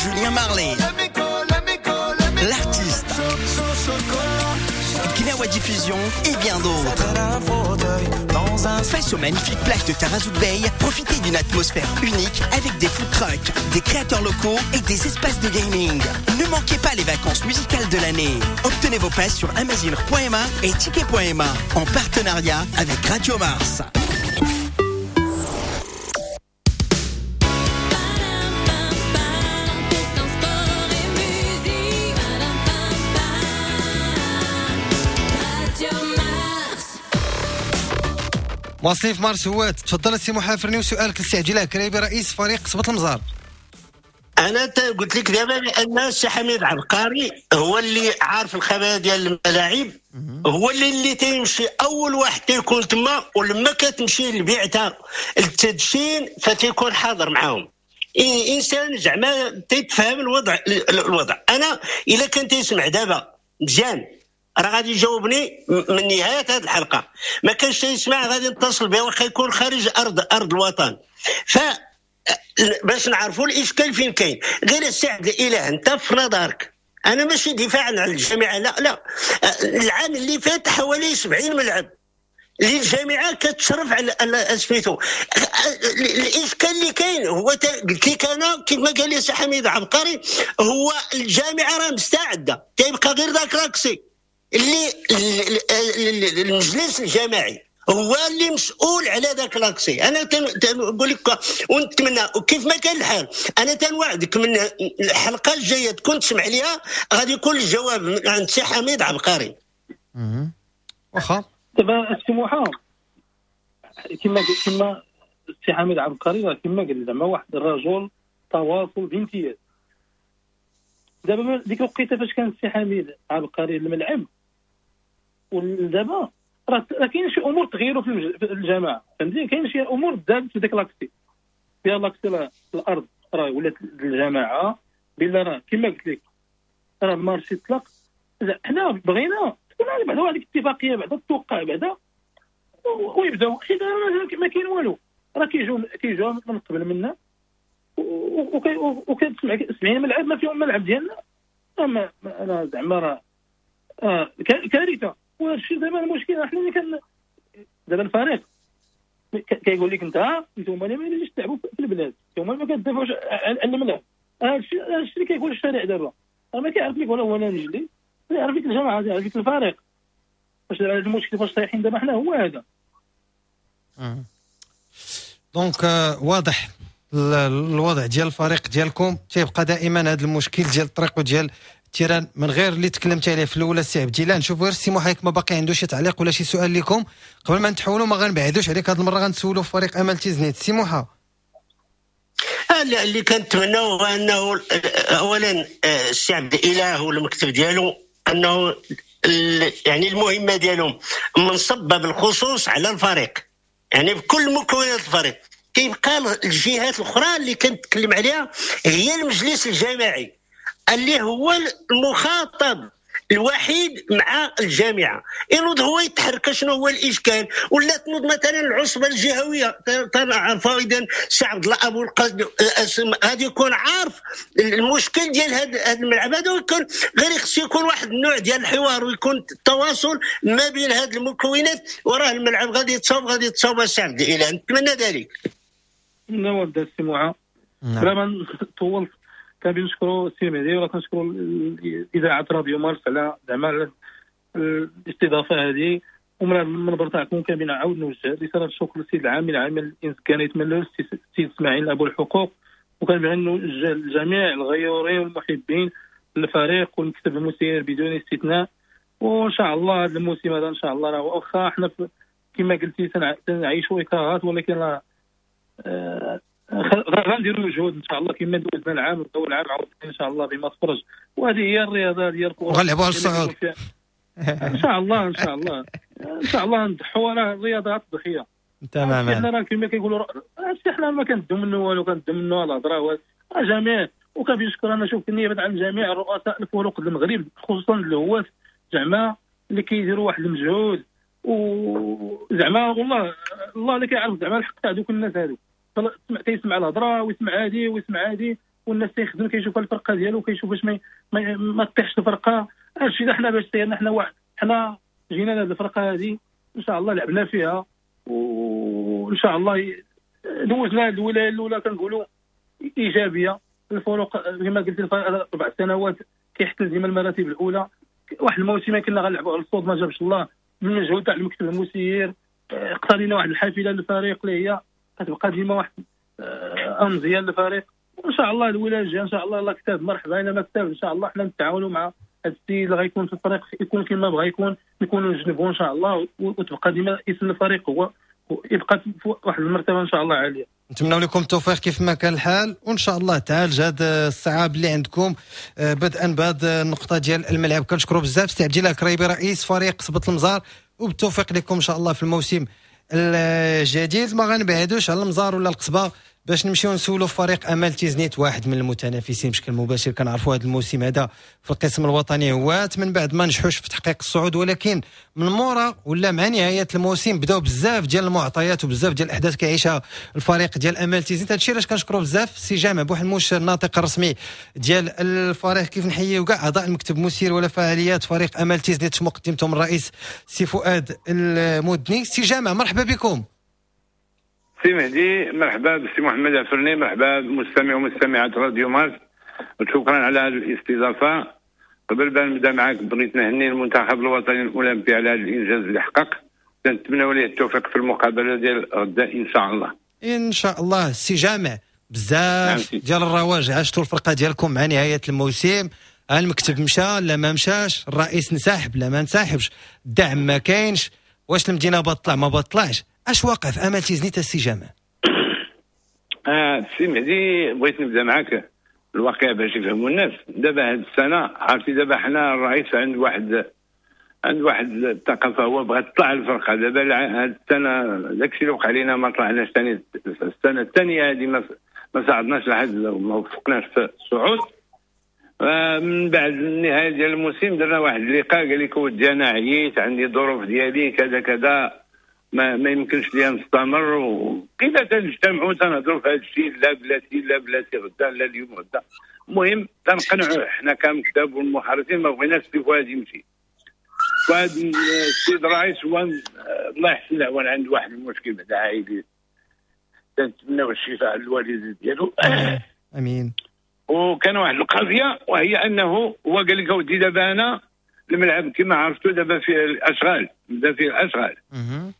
Julien Marley, l'artiste, Gnawa Diffusion et bien d'autres. Face aux magnifiques plages de Taghazout Bay, profitez d'une atmosphère unique avec des food trucks, des créateurs locaux et des espaces de gaming. Ne manquez pas les vacances musicales de l'année. Obtenez vos passes sur amazigh point m a et ticket point m a en partenariat avec Radio Mars. واصلين في مارس هوات. تفضل السي محافرني وسؤالك للسي عبد الله كريبي رئيس فريق صبط المزار. انا قلت لك دابا بان السي حميد عبقري هو اللي عارف الخبايا ديال الملاعب، هو اللي اللي تيمشي اول واحد تيكون تما، ولما كتمشي للبعثه التدشين فتيكون حاضر معاهم. انسان زعما تيتفهم الوضع الوضع. انا الا كان تيسمع دابا مزيان راه غادي يجاوبني من نهاية هذه الحلقة، ما كانش يسمع غادي نتصل به واخا يكون خارج ارض ارض الوطن. ف باش نعرفوا الاشكال فين كاين. غير السي عبد الاله انت في نظرك، انا ماشي دفاعا على الجامعة، لا لا، العام اللي فات حوالي سبعين ملعب اللي الجامعة كتشرف على سميتو. الاشكال اللي كاين هو قلت لك انا كيف ما قال لي سي حميد عبقري، هو الجامعة راه مستعدة، تيبقى غير ذاك l'accès اللي المجلس الجامعي هو اللي مسؤول على ذاك l'accès. انا تنقول لك ونتمنى وكيف ما كان الحال، انا تنوعدك من الحلقة الجاية تكون تسمع ليها غادي يكون الجواب من عند سي حميد عبقري. واخا دابا السموحه كما كما السي حميد عبقري كما قال زعما واحد الرجل تواصل بامتياز. دابا ديك الوقيته فاش كان السي حميد عبقري الملعب ودابا راه كاين شي امور تغيروا في الجماعة، فهمتي؟ كاين شي امور تزادت في ديك l'accès، فيها l'accès الارض راه ولات الجماعة بلا، راه كما قلت لك راه ال marché طلق. حنا بغينا تكون بعدا واحد الاتفاقية بعدا توقع بعدا ويبداو، حيت ما كاين والو، راه كيجيو كيجيو من قبل منا وكتسمع سبعين ملعب ما فيهم ملعب ديالنا. انا زعما راه كارثة. وهذا الشيء دابا المشكل حنا اللي كان دابا الفريق كيقول لك انت انتوما اللي ما يجيش تلعبوا في البلاد، انتوما ما كتدافعوش على الملعب. هذا الشيء هذا الشيء اللي كيقول الشارع دابا، راه ما كيعرف لك ولا هو انا نجلي، يعرف لك الجماعة، يعرف لك الفريق. واش هذا المشكل فاش طايحين دابا حنا هو هذا. donc واضح الوضع ديال الفريق ديالكم، تيبقى دائما هذا المشكل ديال الطريق وديال ال terrain من غير اللي تكلمت عليه في الاولى السي عبد الله. نشوفوا غير السي محيك ما باقي عنده شي تعليق ولا شي سؤال لكم قبل ما نتحولوا، ما غنبعدوش عليك هذه المرة، غنسولوا في فريق امل تيزنيت. السي موحى، اللي كنتمناو هو انه اولا السي عبد الاله والمكتب ديالو انه يعني المهمة ديالهم منصبه بالخصوص على الفريق، يعني بكل مكونات الفريق. كيبقى الجهات الاخرى اللي كنتكلم عليها هي المجلس الجامعي اللي هو المخاطب الوحيد مع الجامعة، ينوض هو يتحرك شنو هو الاشكال، ولا تنوض مثلا العصبة الجهوية تنعرفوا اذا السي عبد الله ابو القاسم غادي يكون عارف المشكل ديال هذا الملعب هذا، ويكون غير خص يكون واحد النوع ديال الحوار ويكون التواصل ما بين هذه المكونات، وراه الملعب غادي يتصاوب غادي يتصاوب السي عبد الاله، نتمنى ذلك. نعم السي معا بلا طولت، كنشكروا السي مهدي ولا كنشكروا اذاعة راديو مارس على زعما الاستضافة هذه، ومن هذا المنبر تاعكم كنعاود نوجه رسالة الشكر للسيد العامل العامل الانسكاني يتمنى السيد اسماعيل ابو الحقوق، وكنبغي نوجه لجميع الغيورين والمحبين للفريق والمكتب المسير بدون استثناء. وان شاء الله هذا الموسم هذا ان شاء الله راه واخا حنا كما قلتي تنعيشوا اكراهات، ولكن راه آه غنديروا مجهود ان شاء الله كما دوزنا العام اول عام عاوتاني ان شاء الله بما تفرج، وهذه هي الرياضة ديال الكره وغنلعبوا على الصعود ان شاء الله. ان شاء الله ان شاء الله نضحوا، راه الرياضة تضحية تماما. حنا راه كما كيقولوا هادشي حنا ما كندو منه والو، كندو منه الهضرة جميع. وكنشكر انا شوف النيابة عن جميع الرؤساء الفروق المغرب خصوصا الهواة زعما اللي كيديروا واحد المجهود، وزعما والله الله اللي كيعرف زعما الحق تاع دوك الناس هادو، تيسمع الهضرة ويسمع هادي ويسمع هادي، والناس تيخدم كيشوف الفرقة ديالو كيشوف باش ما ما تطيحش الفرقة. هادشي حنا باش سيرنا حنا واحد حنا جينا لهاد الفرقة هادي ان شاء الله لعبنا فيها، وان شاء الله دوزنا الولاية الاولى كنقولوا ايجابية. الفرق كما قلت اربع سنوات كيحتل ديما المراتب الاولى. واحد الموسم كنا غنلعبوا على الصوت ما جابش الله من المجهود تاع المكتب المسير، اقتنينا واحد الحافلة للفريق اللي هي كتبقى ديما واحد امزيه للفريق. وان شاء الله الولاية الجاية ان شاء الله الله كتاب مرحبا، الا ما كتاب ان شاء الله حنا نتعاونوا مع هذا السيد اللي غيكون في الفريق يكون كما بغى يكون، نكونوا نجنبوه ان شاء الله، وتبقى ديما اسم الفريق هو يبقى في واحد المرتبة ان شاء الله عالية. نتمنى لكم التوفيق كيف ما كان الحال، وان شاء الله تعالج هذا الصعاب اللي عندكم بدءا بهذه النقطة ديال الملعب. كنشكروا بزاف سي عبد الله كريبي رئيس فريق قصبة المزار، وبالتوفيق لكم ان شاء الله في الموسم الجديد. ما غنبعدوش على المزار ولا القصبة، باش نمشيو نسولوا فريق امل تيزنيت، واحد من المتنافسين بشكل مباشر. كنعرفوا هذا الموسم هذا في القسم الوطني هوات من بعد ما نجحوش في تحقيق الصعود، ولكن من مورا ولا مع نهاية الموسم بداو بزاف ديال المعطيات وبزاف ديال الاحداث كيعيشها الفريق ديال امل تيزنيت. هادشي علاش كنشكروا بزاف سي جامع بوحموش الناطق الرسمي ديال الفريق، كيف نحييو كاع اعضاء المكتب المسير ولا فعاليات فريق امل تيزنيت مقدمتهم الرئيس سي فؤاد المدني. سي جامع مرحبا بكم. سي مهدي مرحبا بسي محمد عفرني، مرحبا بمستمع ومستمعات راديو مارس، وشكرا على هذه الاستضافة. قبل ما نبدا معاك بغيت نهني المنتخب الوطني الاولمبي على هذا الانجاز اللي حقق، نتمنى ليه التوفيق في المقابلة ديال غدا ان شاء الله. ان شاء الله. سي جامع بزاف ديال الرواج عشتوا الفرقة ديالكم مع نهاية الموسم، المكتب مشى لا ما مشاش، الرئيس انسحب لا ما انسحبش، الدعم ما كاينش، واش المدينة بطلع ما بطلعش، اش واقع في امل تيزنيت السي جامع؟ اه سي مهدي بغيت نبدا معاك الواقع باش يفهموا الناس. دابا هاد السنة عرفتي دابا حنا الرئيس عند واحد عند واحد الثقافة، هو بغى تطلع الفرقة. دابا هاد السنة داكشي اللي وقع لينا ما طلعناش ثاني، السنة الثانية هذه ما ما ساعدناش لحد ما وفقناش في الصعود. من بعد النهاية ديال الموسم درنا واحد اللقاء، قال لك ودي انا عييت، عندي ظروف ديالي كذا كذا، ما, ما يمكنش ليا نستمر. وكذا تنجتمعوا تنهضروا في هذا الشيء، لا بلاتي لا بلاتي غدا لا اليوم غدا. المهم تنقنعوا حنا كمكتب والمحررين ما بغيناش سي فؤاد يمشي. فؤاد السيد الرئيس هو الله يحسن العوان عنده واحد المشكل بعدا عائلي، تنتمناو الشفاء للوالد ديالو. امين. وكان واحد القضية وهي انه هو قال لك اودي دابا انا الملعب كما عرفتوا دابا فيه الاشغال، بدا فيه الاشغال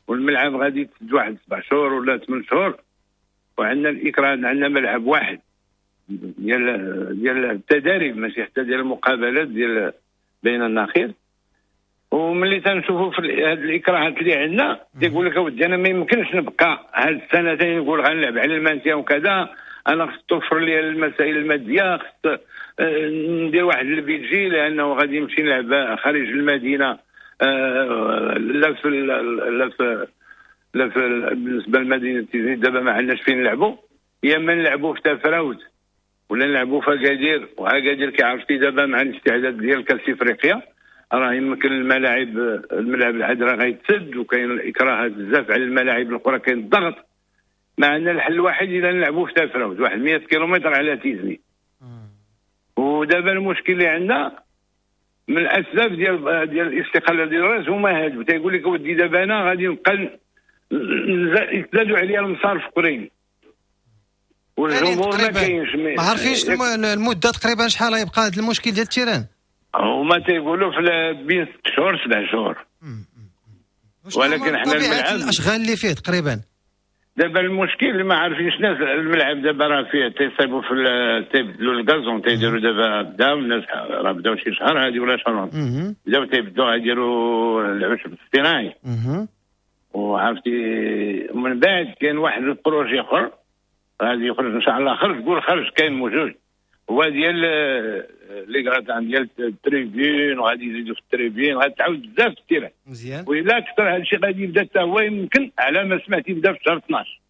والملعب غادي يتسد واحد سبع شهور ولا ثمان شهور، وعندنا الاكراه عندنا ملعب واحد ديال ديال التداريب ماشي حتى ديال المقابلات ديال بين النخيل. وملي تنشوفوا في هاد الاكراهات اللي عندنا تيقول لك اودي انا ما يمكنش نبقى هاد السنتين نقول غنلعب على ال maintien وكذا، انا خص توفر لي المسائل المادية، خص ندير واحد ال budget لانه غادي نمشي نلعب خارج المدينة، لا في لا في لا في بالنسبة لمدينة تيزنيت دابا ما عندناش فين نلعبوا، يا اما نلعبوا في تافراوت ولا نلعبوا في اكادير، واكادير كيعرفتي دابا مع الاستعداد ديال كاس افريقيا راه يمكن الملاعب الملعب العذراء غيتسد، وكاين الاكراهات بزاف على الملاعب الاخرى، كاين الضغط. ما عندنا الحل الوحيد الا نلعبوا في تافراوت واحد مية كيلومتر على تيزنيت. ودابا المشكل اللي عندنا من الاسباب ديال ديال الاستقالة ديال الرئيس هما هادو، تيقول لك ودي دابا انا غادي نبقى يتزادوا عليا المصارف اخرين والجمهور ما كاينش. ما عارفينش المدة تقريبا شحال غيبقى هذا المشكل ديال ال terrain، هما تيقولوا في بين ست شهور سبع شهور، ولكن حنا الملعب الاشغال اللي فيه تقريبا دابا المشكل اللي ما عارفينش الناس، الملعب دابا راه فيه تيصايبوا في تيبدلوا ال gazon، تيديروا دابا بداو الناس راه بداو شي شهر هادي ولا شهر بداو تيبدلوا غيديروا العشب الاصطناعي. وعرفتي من بعد كاين واحد ال projet اخر غادي يخرج ان شاء الله، خرج قول خرج كاين موجود، هو ديال les gradins ديال ال tribunes، وغادي يزيدوا في ال tribunes، غادي تعاود بزاف في ال terrain مزيان. وإلا كثر هذا الشيء غادي يبدا حتى هو يمكن على ما سمعت يبدا في شهر اثناش.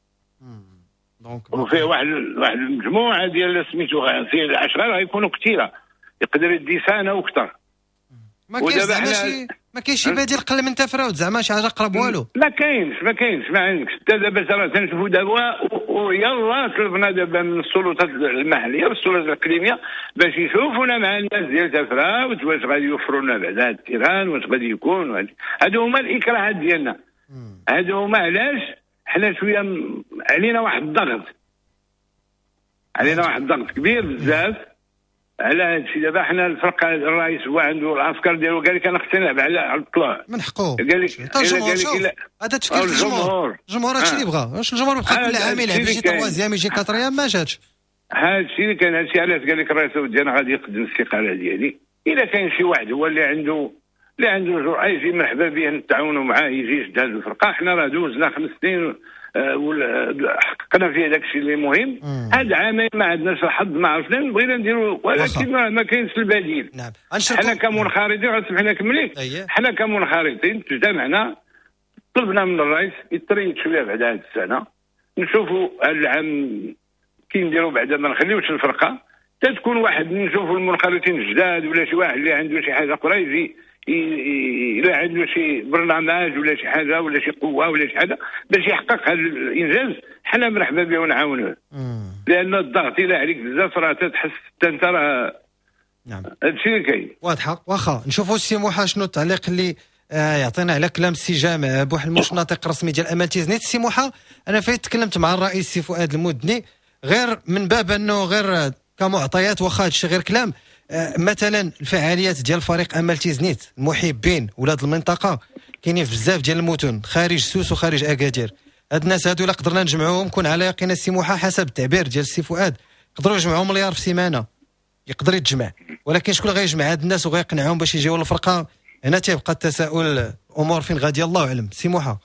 donc وفيه واحد واحد المجموعة ديال سميتو فيه الاشغال غيكونوا كثيرة، يقدر يدي سنة واكثر. ما كاينش زعما شي ما كاينش شي بديل قل من تافراوت زعما شي حاجة قرب والو؟ ما كاينش ما كاينش ما عندكش حتى دابا راه تنشوفوا دابا، ويلا طلبنا دابا من السلطات المحلية والسلطات الاقليمية باش يشوفونا مع الناس ديال تافراوت واش غادي يوفروا لنا بعد هذا ال terrain، واش غادي يكون. هادو هما الاكراهات ديالنا، هادو هما علاش حنا شوية علينا واحد الضغط، علينا واحد الضغط كبير بزاف على هذا الشيء. دابا حنا الفرقة الرئيس هو عنده الافكار ديالو، قال لك انا خصني نلعب على الطلوع، من حقه. قال لك الجمهور هذا تفكير الجمهور، الجمهور هادشي اللي بغا، واش الجمهور بقى كل عام يلعب شي troisième يجي quatrième ما جاتش. هذا الشيء اللي كان، هذا الشيء علاش قال لك الرئيس ديالنا غادي يقدم الاستقالة ديالي. الا كاين شي واحد هو اللي عنده اللي عنده جرأه يجي مرحبا به، نتعاونوا معاه يجي يشد هذه الفرقة. حنا راه دوزنا خمس سنين حققنا فيه داك الشيء اللي مهم. هاد عامين ما عندناش الحظ، ما عرفنا بغينا نديروا، ولكن ما كاينش البديل. نعم. حنا كمنخرطين غتسمح لنا نكمل، حنا كمنخرطين تجتمعنا طلبنا من الرئيس يتريد شوية بعد هذه السنة، نشوفوا هذا العام كي نديروا بعدا ما نخليوش الفرقة تكون واحد، نشوفوا المنخرطين الجداد ولا شي واحد اللي عنده شي حاجة اخرى يجي الا عنده شي برنامج ولا شي حاجة ولا شي قوة ولا شي حاجة باش يحقق هذا الانجاز، حنا مرحبا به ونعاونوه. لان الضغط الى عليك بزاف راه تحس حتى انت راه. نعم هادشي اللي كاين. واضحة. واخا نشوفوا السي موحى شنو التعليق اللي آه يعطينا على كلام السي جامع بوحلموش الناطق الرسمي ديال امل تيزنيت. السي موحى انا فايت تكلمت مع الرئيس السي فؤاد المدني غير من باب انه غير كمعطيات، واخا هادشي غير كلام، آه مثلا الفعاليات ديال فريق امل تيزنيت المحبين ولاد المنطقة كاينين في بزاف ديال المدن خارج سوس وخارج اكادير. هاد الناس هادو الا قدرنا نجمعوهم كون على يقين السي موحى حسب التعبير ديال السي فؤاد يقدروا يجمعوا مليار في سيمانه، يقدر يتجمع، ولكن شكون غيجمع هاد الناس وغيقنعهم باش يجيو للفرقة؟ هنا تيبقى التساؤل، الامور فين غادي الله اعلم. سي موحى.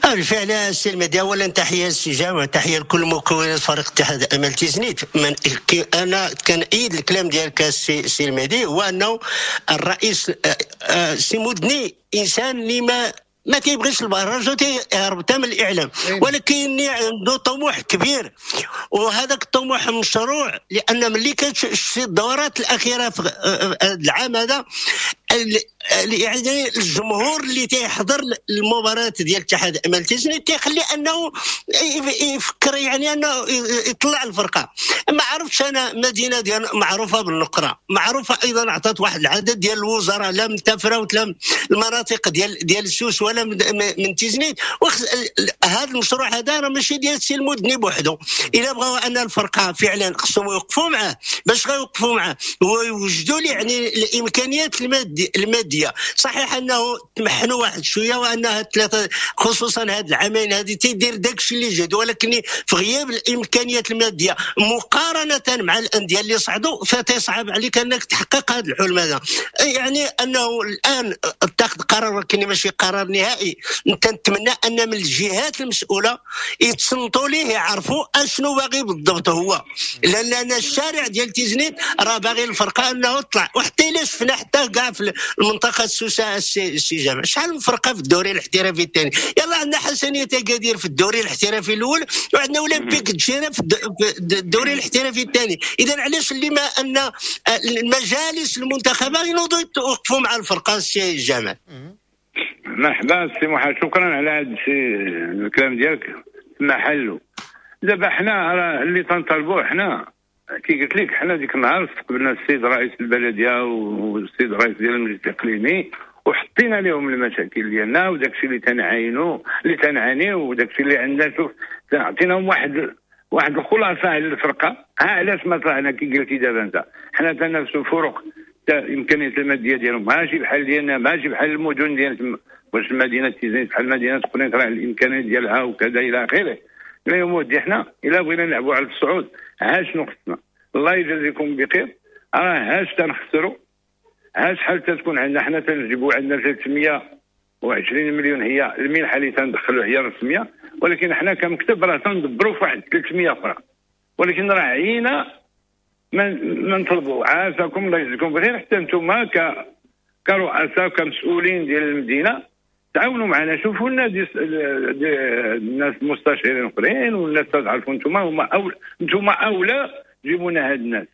بالفعل السي المهدي، اولا تحية للسي جامع، تحية لكل مكونات فريق اتحاد امل تيزنيت. من انا كنأيد الكلام ديالك السي المهدي، هو انه الرئيس السي مدني انسان اللي ما ما كيبغيش البرج وتيهرب حتى من الاعلام، ولكن عنده طموح كبير، وهذاك الطموح مشروع، لان ملي كتشوف الدورات الاخيرة في العام هذا يعني الجمهور اللي تيحضر المباراة ديال اتحاد امل تيزنيت تيخلي انه يفكر يعني انه يطلع الفرقة. ما عرفتش انا مدينة ديال معروفة بالنقره، معروفة ايضا عطات واحد العدد ديال الوزراء لا من تفراوت لا من المناطق ديال ديال سوس ولا من, من تيزنيت. هذا المشروع هذا راه ماشي ديال السي المدني بوحدو، الا بغاو ان الفرقة فعلا خصهم يوقفوا معاه، باش غيوقفوا معاه هو يوجدوا لي يعني الامكانيات المادية المادية. صحيح انه تمحنوا واحد شوية، وانها ثلاثة خصوصا هاد العامين هذه تيدير داكشي اللي جهد، ولكن في غياب الامكانيات المادية مقارنة مع الاندية اللي صعدوا فتصعب عليك انك تحقق هذا الحلم هذا. يعني انه الان اتخذ قرار ولكن ماشي قرار نهائي. انت نتمنى ان من الجهات المسؤولة يتصنتوا ليه، يعرفوا اشنو باغي بالضبط هو، لان انا الشارع ديال تيزنيت راه باغي الفرقة انه تطلع. وحتى الا شفنا حتى كاع في المنطقة السوسه السي جامع شحال من فرقه في الدوري الاحترافي الثاني، يلا عندنا حسنيه اكادير في الدوري الاحترافي الاول، وعندنا اولمبيك الجزيرة في الدوري الاحترافي الثاني. اذا علاش اللي ما ان المجالس المنتخبه ينوضوا يوقفوا مع الفرقة السي جامع؟ مرحبا سي موحى، شكرا على هذا الشيء الكلام ديالك محلو. دابا حنا راه اللي تنطالبوه حنا كي قلت لك، حنا ديك النهار استقبلنا السيد رئيس البلدية والسيد رئيس ديال المجلس الاقليمي وحطينا لهم المشاكل ديالنا وداك الشيء اللي تنعاينو اللي تنعانيو وداك الشيء اللي عندنا. شوف عطيناهم واحد واحد الخلاصة على الفرقة. ها علاش ما طلعنا كي قلتي دابا انت، حنا تنافسوا فرق الامكانيات المادية ديالهم ماشي بحال ديالنا، ماشي بحال المدن ديال واش المدينة تيزنيت بحال مدينة قنيطره راه الامكانيات ديالها وكذا الى اخره. لا يا حنا الا بغينا نلعبوا على الصعود ها شنو خصنا؟ الله يجازيكم بخير. راه هاش تنخسروا، ها شحال تتكون عندنا حنا تنجيبوا عندنا ثلاثمية وعشرين مليون هي المنحة اللي تندخلوا هي الرسمية، ولكن حنا كمكتب راه تندبروا في واحد ثلاثمية اخرى، ولكن راه عينا ما نطلبوا. عافاكم الله يجزيكم بخير، حتى انتم ك كرؤساء وكمسؤولين ديال المدينة تعاونوا معنا، شوفوا لنا دي الناس المستشارين الاخرين والناس تعرفوا انتم هما اولى، انتم اولى جيبوا لنا هاد الناس،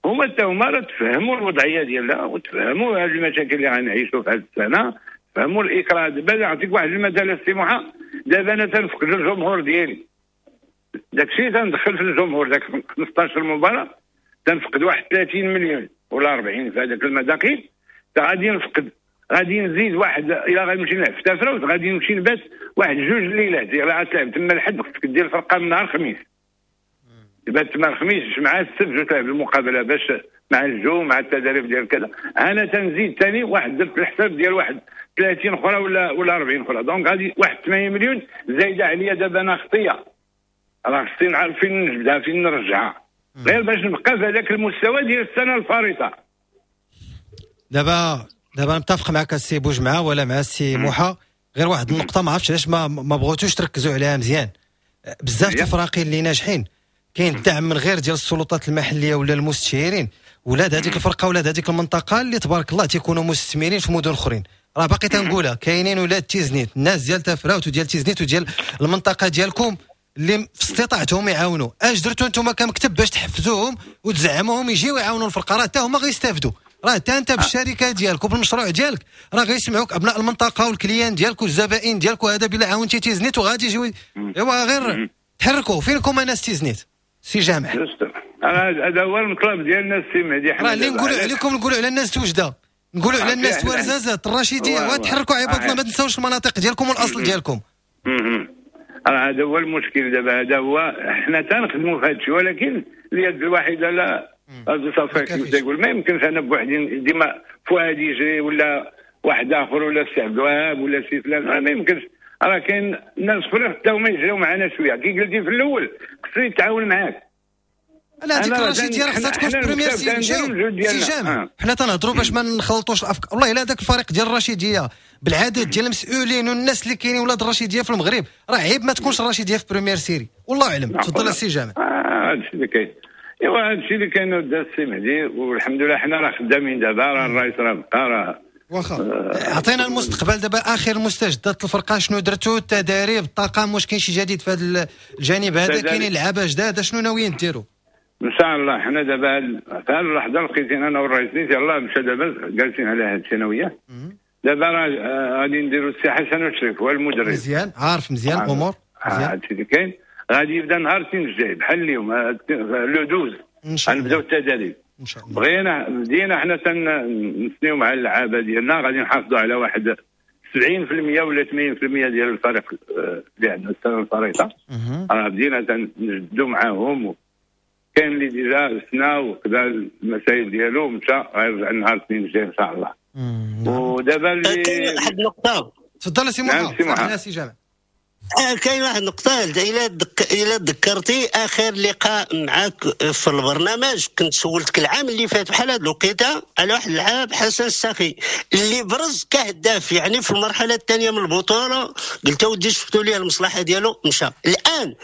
هما حتى هما راه تفهموا الوضعية ديالنا وتفهموا هاد المشاكل اللي غنعيشوا في هاد السنة، فهموا الاكراه. دابا نعطيك واحد المثال السي موحى، دابا انا تنفقد الجمهور ديالي، داكشي تندخل في الجمهور داك خمسطاش مباراة تنفقد واحد ثلاثين مليون ولا أربعين في هذاك المداخيل، غادي نفقد غادي نزيد واحد الى غنمشي نلعب في تافراوت غادي نمشي نبات واحد جوج ليلات، الا غتلعب تما الحد خصك دير الفرقة من نهار الخميس، تبات تما الخميس مع السبت وتلعب المقابلة باش مع الجو مع التدريب ديال كذا. انا تنزيد ثاني واحد درت الحساب ديال واحد ثلاثين اخرى ولا ولا أربعين اخرى، donc غادي واحد ثمانية مليون زايدة عليا دابا انا خطيه، راه خصني نعرف فين نجبدها فين نرجعها غير باش نبقى في هذاك المستوى ديال السنة الفارطه. دابا دابا متفق معك السي بوجمعه ولا مع السي موحى، غير واحد النقطة ما عرفتش علاش ما ما بغيتوش تركزوا عليها مزيان. بزاف الفراقي اللي ناجحين كاين الدعم من غير ديال السلطات المحلية ولا المستشيرين، ولاد هذيك الفرقة ولاد هذيك المنطقة اللي تبارك الله تيكونوا مستثمرين في مدن اخرين. راه باقي تنقولها كاينين ولاد تيزنيت، الناس ديال تافراوت وديال تيزنيت وديال المنطقة ديالكم اللي في استطاعتهم يعاونوا. اش درتوا انتم كمكتب باش تحفزوهم وتزعموهم يجيو يعاونوا الفرقة؟ راه حتى هما غيستافدوا، راه حتى انت بالشركة ديالك وبالمشروع ديالك راه غيسمعوك ابناء المنطقة وال clients ديالك والزبائن ديالك، وهذا بلا عاونتي تيزنيت وغادي يجيو. ايوا غير تحركوا. فينكم انا تيزنيت سي جامع؟ هذا هو المطلب ديالنا السي مهدي. راه اللي نقولوا عليكم نقولوا على الناس توجده، نقولوا على الناس ورزازات الرشيديه، وتحركوا عباد الله، ما تنساوش المناطق ديالكم والاصل ديالكم. راه هذا هو المشكل دابا، هذا هو حنا تنخدموا في هذا الشيء، ولكن اليد الواحدة لا هذا صافي كيف تيقول، ما يمكنش انا بوحدي ديما فؤاد يجري ولا واحد اخر ولا السي عبد الوهاب ولا سي فلان، ما يمكنش. راه كاين ناس اخرين حتى هما يجريو معنا شوية، كي قلتي في الاول خصو يتعاون معاك. لا هذيك الرشيديه راه خصها تكون في première série. سي جامع حنا تنهضروا باش ما نخلطوش الافكار. والله الا هذاك الفريق ديال الرشيديه بالعدد ديال المسؤولين والناس اللي كاينين ولاد الرشيديه في المغرب، راه عيب ما تكونش الرشيديه في première série، والله اعلم. تفضل السي جامع. اه هادشي اللي كاين، ايوا هادشي اللي كاين السي مهدي، والحمد لله حنا راه خدامين دابا، راه الرئيس راه بقى راه واخا. عطينا المستقبل دابا، اخر مستجدات الفرقة شنو درتو، التداريب، الطاقم، واش كاين شي جديد في هذا الجانب هذا؟ كاينين لعابه جداد، شنو ناويين ديروا؟ ان شاء الله حنا دابا في هذه اللحظة لقيتينا انا والرئيس نيت يلاه مشى دابا جالسين على هذه الثانوية. دابا راه غادي نديروا السي حسن والشريف هو المدرب. مزيان، عارف مزيان الامور مزيان. هادشي اللي كاين. غادي يبدا نهار الاثنين الجاي بحال اليوم le douze غنبداو التدريب ان شاء الله. بغينا بدينا حنا تنسنيو مع اللعابه ديالنا، غادي نحافظوا على واحد سبعين بالمية ولا ثمانين بالمية ديال الفريق اللي عندنا السنة الفريطه. راه بدينا تنجدوا معاهم، كاين اللي déjà سنا وكذا المسائل ديالو مشى، غيرجع النهار الاثنين الجاي ان شاء الله. ودابا اللي كاين واحد النقطة. تفضل سي محمد. سي جامع كاين واحد النقطة، إلا دك... إلا ذكرتي آخر لقاء معاك في البرنامج كنت سولتك العام اللي فات بحال هاد الوقيته على واحد اللاعب حسن الساخي اللي برز كهداف يعني في المرحلة الثانية من البطولة، قلت ودي شفتوا ليه المصلحة ديالو مشى. الآن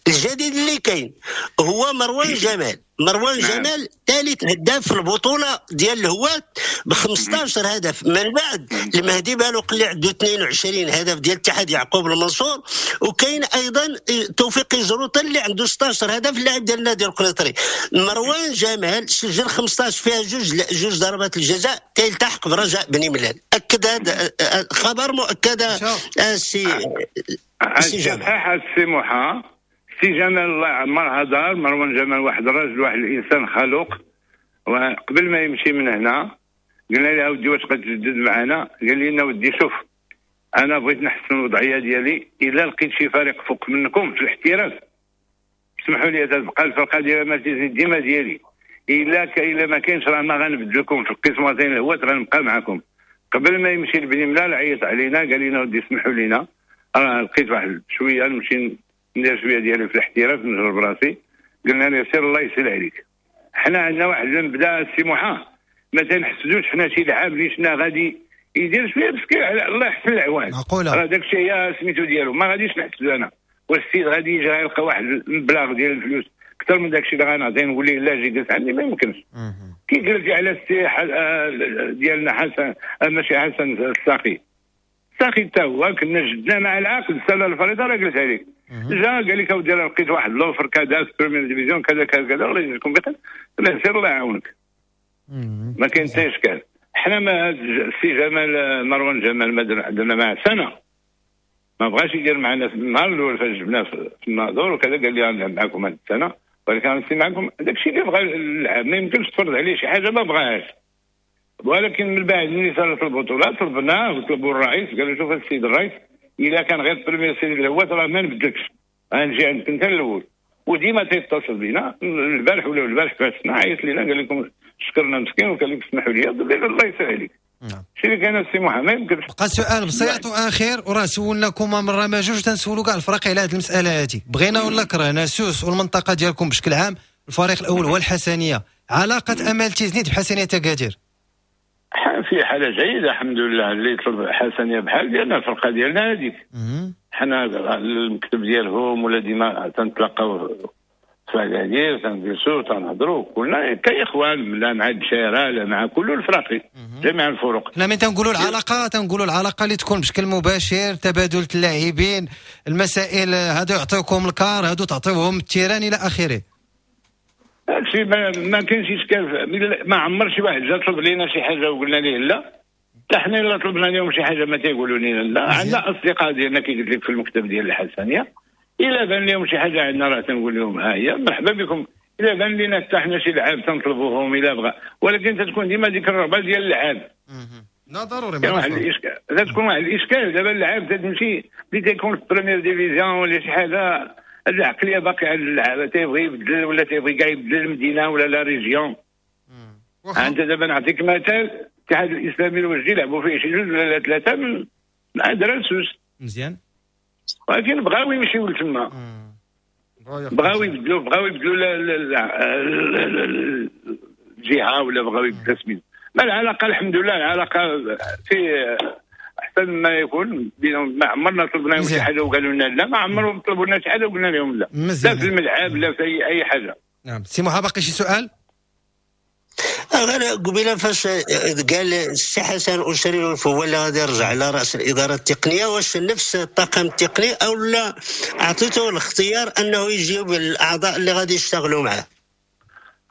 الجديد اللي كاين هو مروان جمال. مروان جمال ثالث هداف في البطولة ديال الهواة ب خمسطاش هدف، من بعد المهدي بالوق اللي عنده اثنين وعشرين هدف ديال اتحاد يعقوب المنصور، وكاين ايضا توفيق زروطه اللي عنده ستاش هدف اللاعب ديال النادي القنيطري. مروان جمال سجل خمسطاش فيها جوج جوج ضربات الجزاء، تيلتحق برجاء بني ملال. اكد هذا خبر مؤكد السي سي جمال. السي موحى سي جمال الله يعمرها دار. مروان جمال واحد الراجل، واحد الانسان خلوق، وقبل ما يمشي من هنا قلنا له اودي واش غتجدد معنا؟ قال لنا ودي شوف انا بغيت نحسن الوضعية ديالي، الا لقيت شي فريق فوق منكم في الاحتراف سمحوا لي تبقى الفرقة ديال ما تزيد ديما ديالي، الا الا ما كاينش راه ما غنبدلكم في القسمتين الهوات غنبقى معكم. قبل ما يمشي لبني ملال عيط علينا قال لنا ودي سمحوا لينا راه لقيت واحد شوية نمشي ندير شوية ديالي في الاحتراف نجرب راسي. قلنا له سير الله يسهل عليك. حنا عندنا واحد المبدا السي محا ما تنحسدوش حنا شي لعاب اللي شنا غادي يدير شوية مسكين الله يحسن العوان، راه داك الشيء هي سميتو ديالو ما غاديش نحسدو انا. والسيد غادي يجي غيلقى واحد المبلغ ديال الفلوس اكثر من داك الشيء اللي غنعطيه نقول ليه لا جي جلس عندي ما يمكنش. كي قلتي على السي ديالنا حسن ماشي حسن الساقي، الساقي حتى هو كنا جدنا مع العقد السنة الفريضة راه قلت عليك جا قال لك اودي راه لقيت واحد l'offre كذا في première division كذا كذا كذا الله يجزيكم بخير، لا سير الله يعاونك ما كاين حتى اشكال. حنا ما السي جمال مروان جمال ما درنا معاه سنة ما بغاش يدير معنا في النهار الاول فاش جبناه في الناظور وكذا قال لي غنلعب معكم هذه السنة، ولكن غنسي معكم داك الشيء اللي بغى اللعب ما يمكنش تفرض عليه شي حاجة ما بغاهاش. ولكن من بعد ملي صارت البطولات طلبناه وطلبوا الرئيس قالوا شوف السيد الرئيس الا كان غير première série الهوات راه ما نبدلكش غنجي عندك انت الاول. وديما تيتصل بينا البارح ولا البارح فاتنا عيط لينا قال لكم شكرنا مسكين وقال لك اسمحوا لي الله يسهل عليك. نعم. شي اللي كان السي محمد يمكن بقى سؤال بسيط واخير وراه سولناكم مرة ما جوج تنسولوا كاع الفرق على هذه المسالة هذه، بغينا ولا كرهنا سوس والمنطقة ديالكم بشكل عام الفريق الاول هو الحسنيه، علاقة امال تيزنيت بحسنيه اكادير؟ في حاله جيدة الحمد لله، اللي طلب حسنيه بحال ديالنا الفرقة ديالنا هذيك حنا المكتب ديالهم ولا ديما تنتلاقاو في اكادير تنجلسوا تنهضروا كلنا كاخوان، لا مع الدشيره لا مع كل الفراقي، جميع الفرق. حنا من تنقولوا العلاقة تنقولوا العلاقة اللي تكون بشكل مباشر، تبادل اللاعبين، المسائل هادو يعطيوكم ال car، هادو تعطيوهم ال terrain الى اخره. هادشي ما, ما كاينش اشكال، ما عمر شي واحد جا طلب لينا شي حاجة وقلنا ليه لا، حتى حنا الا طلبنا لهم شي حاجة ما تيقولوا لنا لا. عندنا اصدقاء ديالنا كي قلت لك في المكتب ديال الحسنيه، الا بان لهم شي حاجة عندنا راه تنقول لهم ها هي مرحبا بكم، الا بان لنا حتى حنا شي لعاب تنطلبوهم الا بغى، ولكن تتكون ديما ديك الرغبة ديال اللعاب. لا ضروري كاين واحد الاشكال، تتكون واحد الاشكال دابا اللعاب تتمشي اللي تيكون في première division ولا شي حاجة، هاد العقلية باقي عند اللعابه، تيبغي يبدل ولا تيبغي كاع يبدل المدينة ولا la région. انت دابا نعطيك مثال، الاتحاد الاسلامي الوجدي لعبوا فيه شي جوج ولا ثلاثة من ادرار سوس مزيان، ولكن بغاو يمشيو لتما، بغاو يبدلوا بغاو يبدلوا الجهة ولا بغاو يبدلوا سميتو. ما العلاقة الحمد لله العلاقة في احسن ما يكون بينهم، ما عمرنا طلبنا لهم شي حاجة وقالوا لنا لا، ما عمرهم طلبوا لنا شي حاجة وقلنا لهم لا، لا في الملعب لا في اي اي حاجة. نعم سي محا باقي شي سؤال؟ غير قبيلة فاش قال السي حسن أشريف هو اللي غادي يرجع على راس الادارة التقنية، واش نفس الطاقم التقني او لا اعطيته الاختيار انه يجيب الاعضاء اللي غادي يشتغلوا معاه؟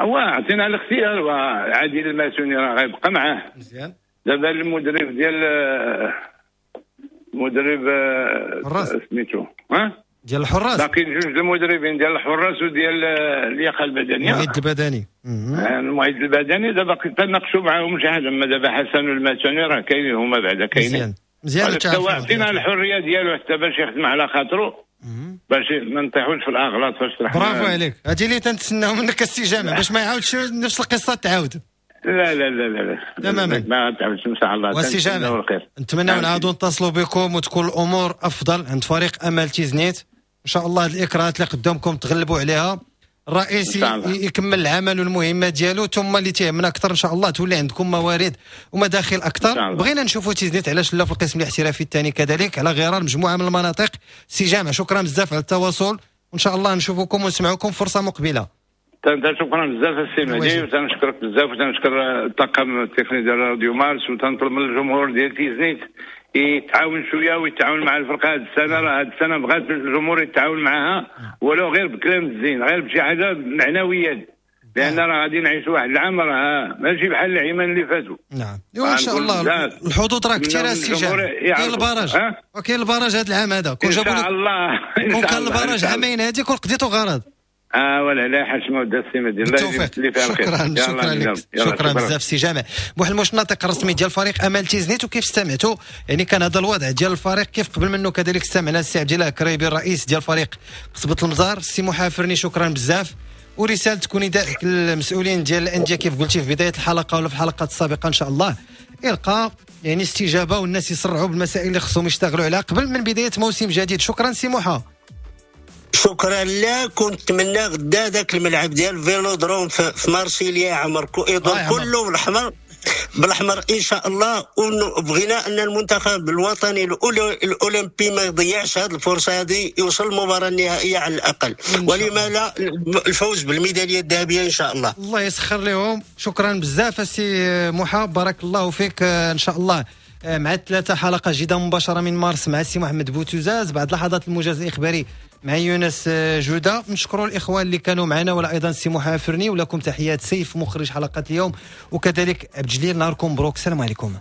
هو عطينا الاختيار، وعادل الماسوني راه غيبقى معاه مزيان. دابا المدرب ديال المدرب سميتو ها ديال الحراس، باقي جوج المدربين ديال الحراس وديال اللياقة البدنية، المعد البدني. المعد البدني دابا تناقشوا معاهم شي حاجة، اما دابا حسن والماسوني راه كاينين هما بعدا كاينين مزيان مزيان. عطينا الحرية ديالو حتى باش يخدم على خاطرو، باش ما نطيحوش في الاغلاط فاش طرحنا. برافو عليك، هادي اللي تنتسناو منك السي جامع باش ما يعاودش نفس القصة تعاود. لا لا لا لا تماما ما تعاودش ان شاء الله. والسي جامع نتمناو نعاودوا نتصلوا بكم وتكون الامور افضل عند فريق امل تيزنيت ان شاء الله. هاد الاكراهات اللي قدامكم تغلبوا عليها، الرئيس يكمل العمل والمهمه ديالو، ثم اللي تيهمنا اكثر ان شاء الله تولي عندكم موارد ومداخل اكثر. بغينا نشوفوا تيزنيت علاش لا في القسم الاحترافي الثاني كذلك على غرار مجموعة من المناطق. سي جامع شكرا بزاف على التواصل، وان شاء الله نشوفكم ونسمعوكم فرصة مقبله. شكرا بزاف السي مهدي، وتنشكرك بزاف وتنشكر الطاقم التقني ديال راديو مارس، وتنطلب من الجمهور ديال تيزنيت يتعاون شوية ويتعاون مع الفرقة هذه السنة. راه هذه السنة بغات الجمهور يتعاون معها ولو غير بكلام الزين، غير بشي حاجة معنويا، لان راه غادي نعيشوا واحد العام راه ماشي بحال العيمان اللي فاتوا. نعم ان شاء الله الحظوظ راه كثيرة السي جامع، كاين ال barrage وكاين ال barrage هذا العام هذا، كون جابوا لك كون كان ال barrage عامين هذه كون قضيتو غرض. اه ولا لا حشمه ودا السي مهدي، الله يجزيك اللي فيها الخير. شكرا شكرا لك، شكرا بزاف سي جامع. بوحلموش الناطق الرسمي ديال فريق امل تيزنيت، وكيف استمعتوا يعني كان هذا الوضع ديال الفريق كيف قبل منه كذلك استمعنا السي عبد الله كريبي الرئيس ديال فريق قصبة المزار. السي محافرني شكرا بزاف، ورسالتك وندائك للمسؤولين ديال الاندية كيف قلتي في بداية الحلقة ولا في الحلقات السابقة ان شاء الله يلقى يعني استجابة والناس يسرعوا بالمسائل اللي خصهم يشتغلوا عليها قبل من بداية موسم جديد. شكرا سي محا. شكرا لك، ونتمنى غدا ذاك الملعب ديال فيلودروم في مارسيليا يعمر يدور كله بالاحمر بالاحمر ان شاء الله. وبغينا ان المنتخب الوطني الاولمبي ما يضيعش هذه الفرصة هذه، يوصل المباراة النهائية على الاقل، ولما لا الفوز بالميداليه الذهبية ان شاء الله. الله يسخر لهم. شكرا بزاف السي محا، بارك الله فيك. ان شاء الله مع ثلاثة حلقة جديدة مباشرة من مارس مع السي محمد بوتوزاز، بعد لحظات الموجز الاخباري مع يونس جودة. نشكروا الإخوان اللي كانوا معنا ولا أيضا سي محافرني، ولكم تحيات سيف مخرج حلقة اليوم، وكذلك عبد الجليل. نهاركم مبروك، السلام عليكم.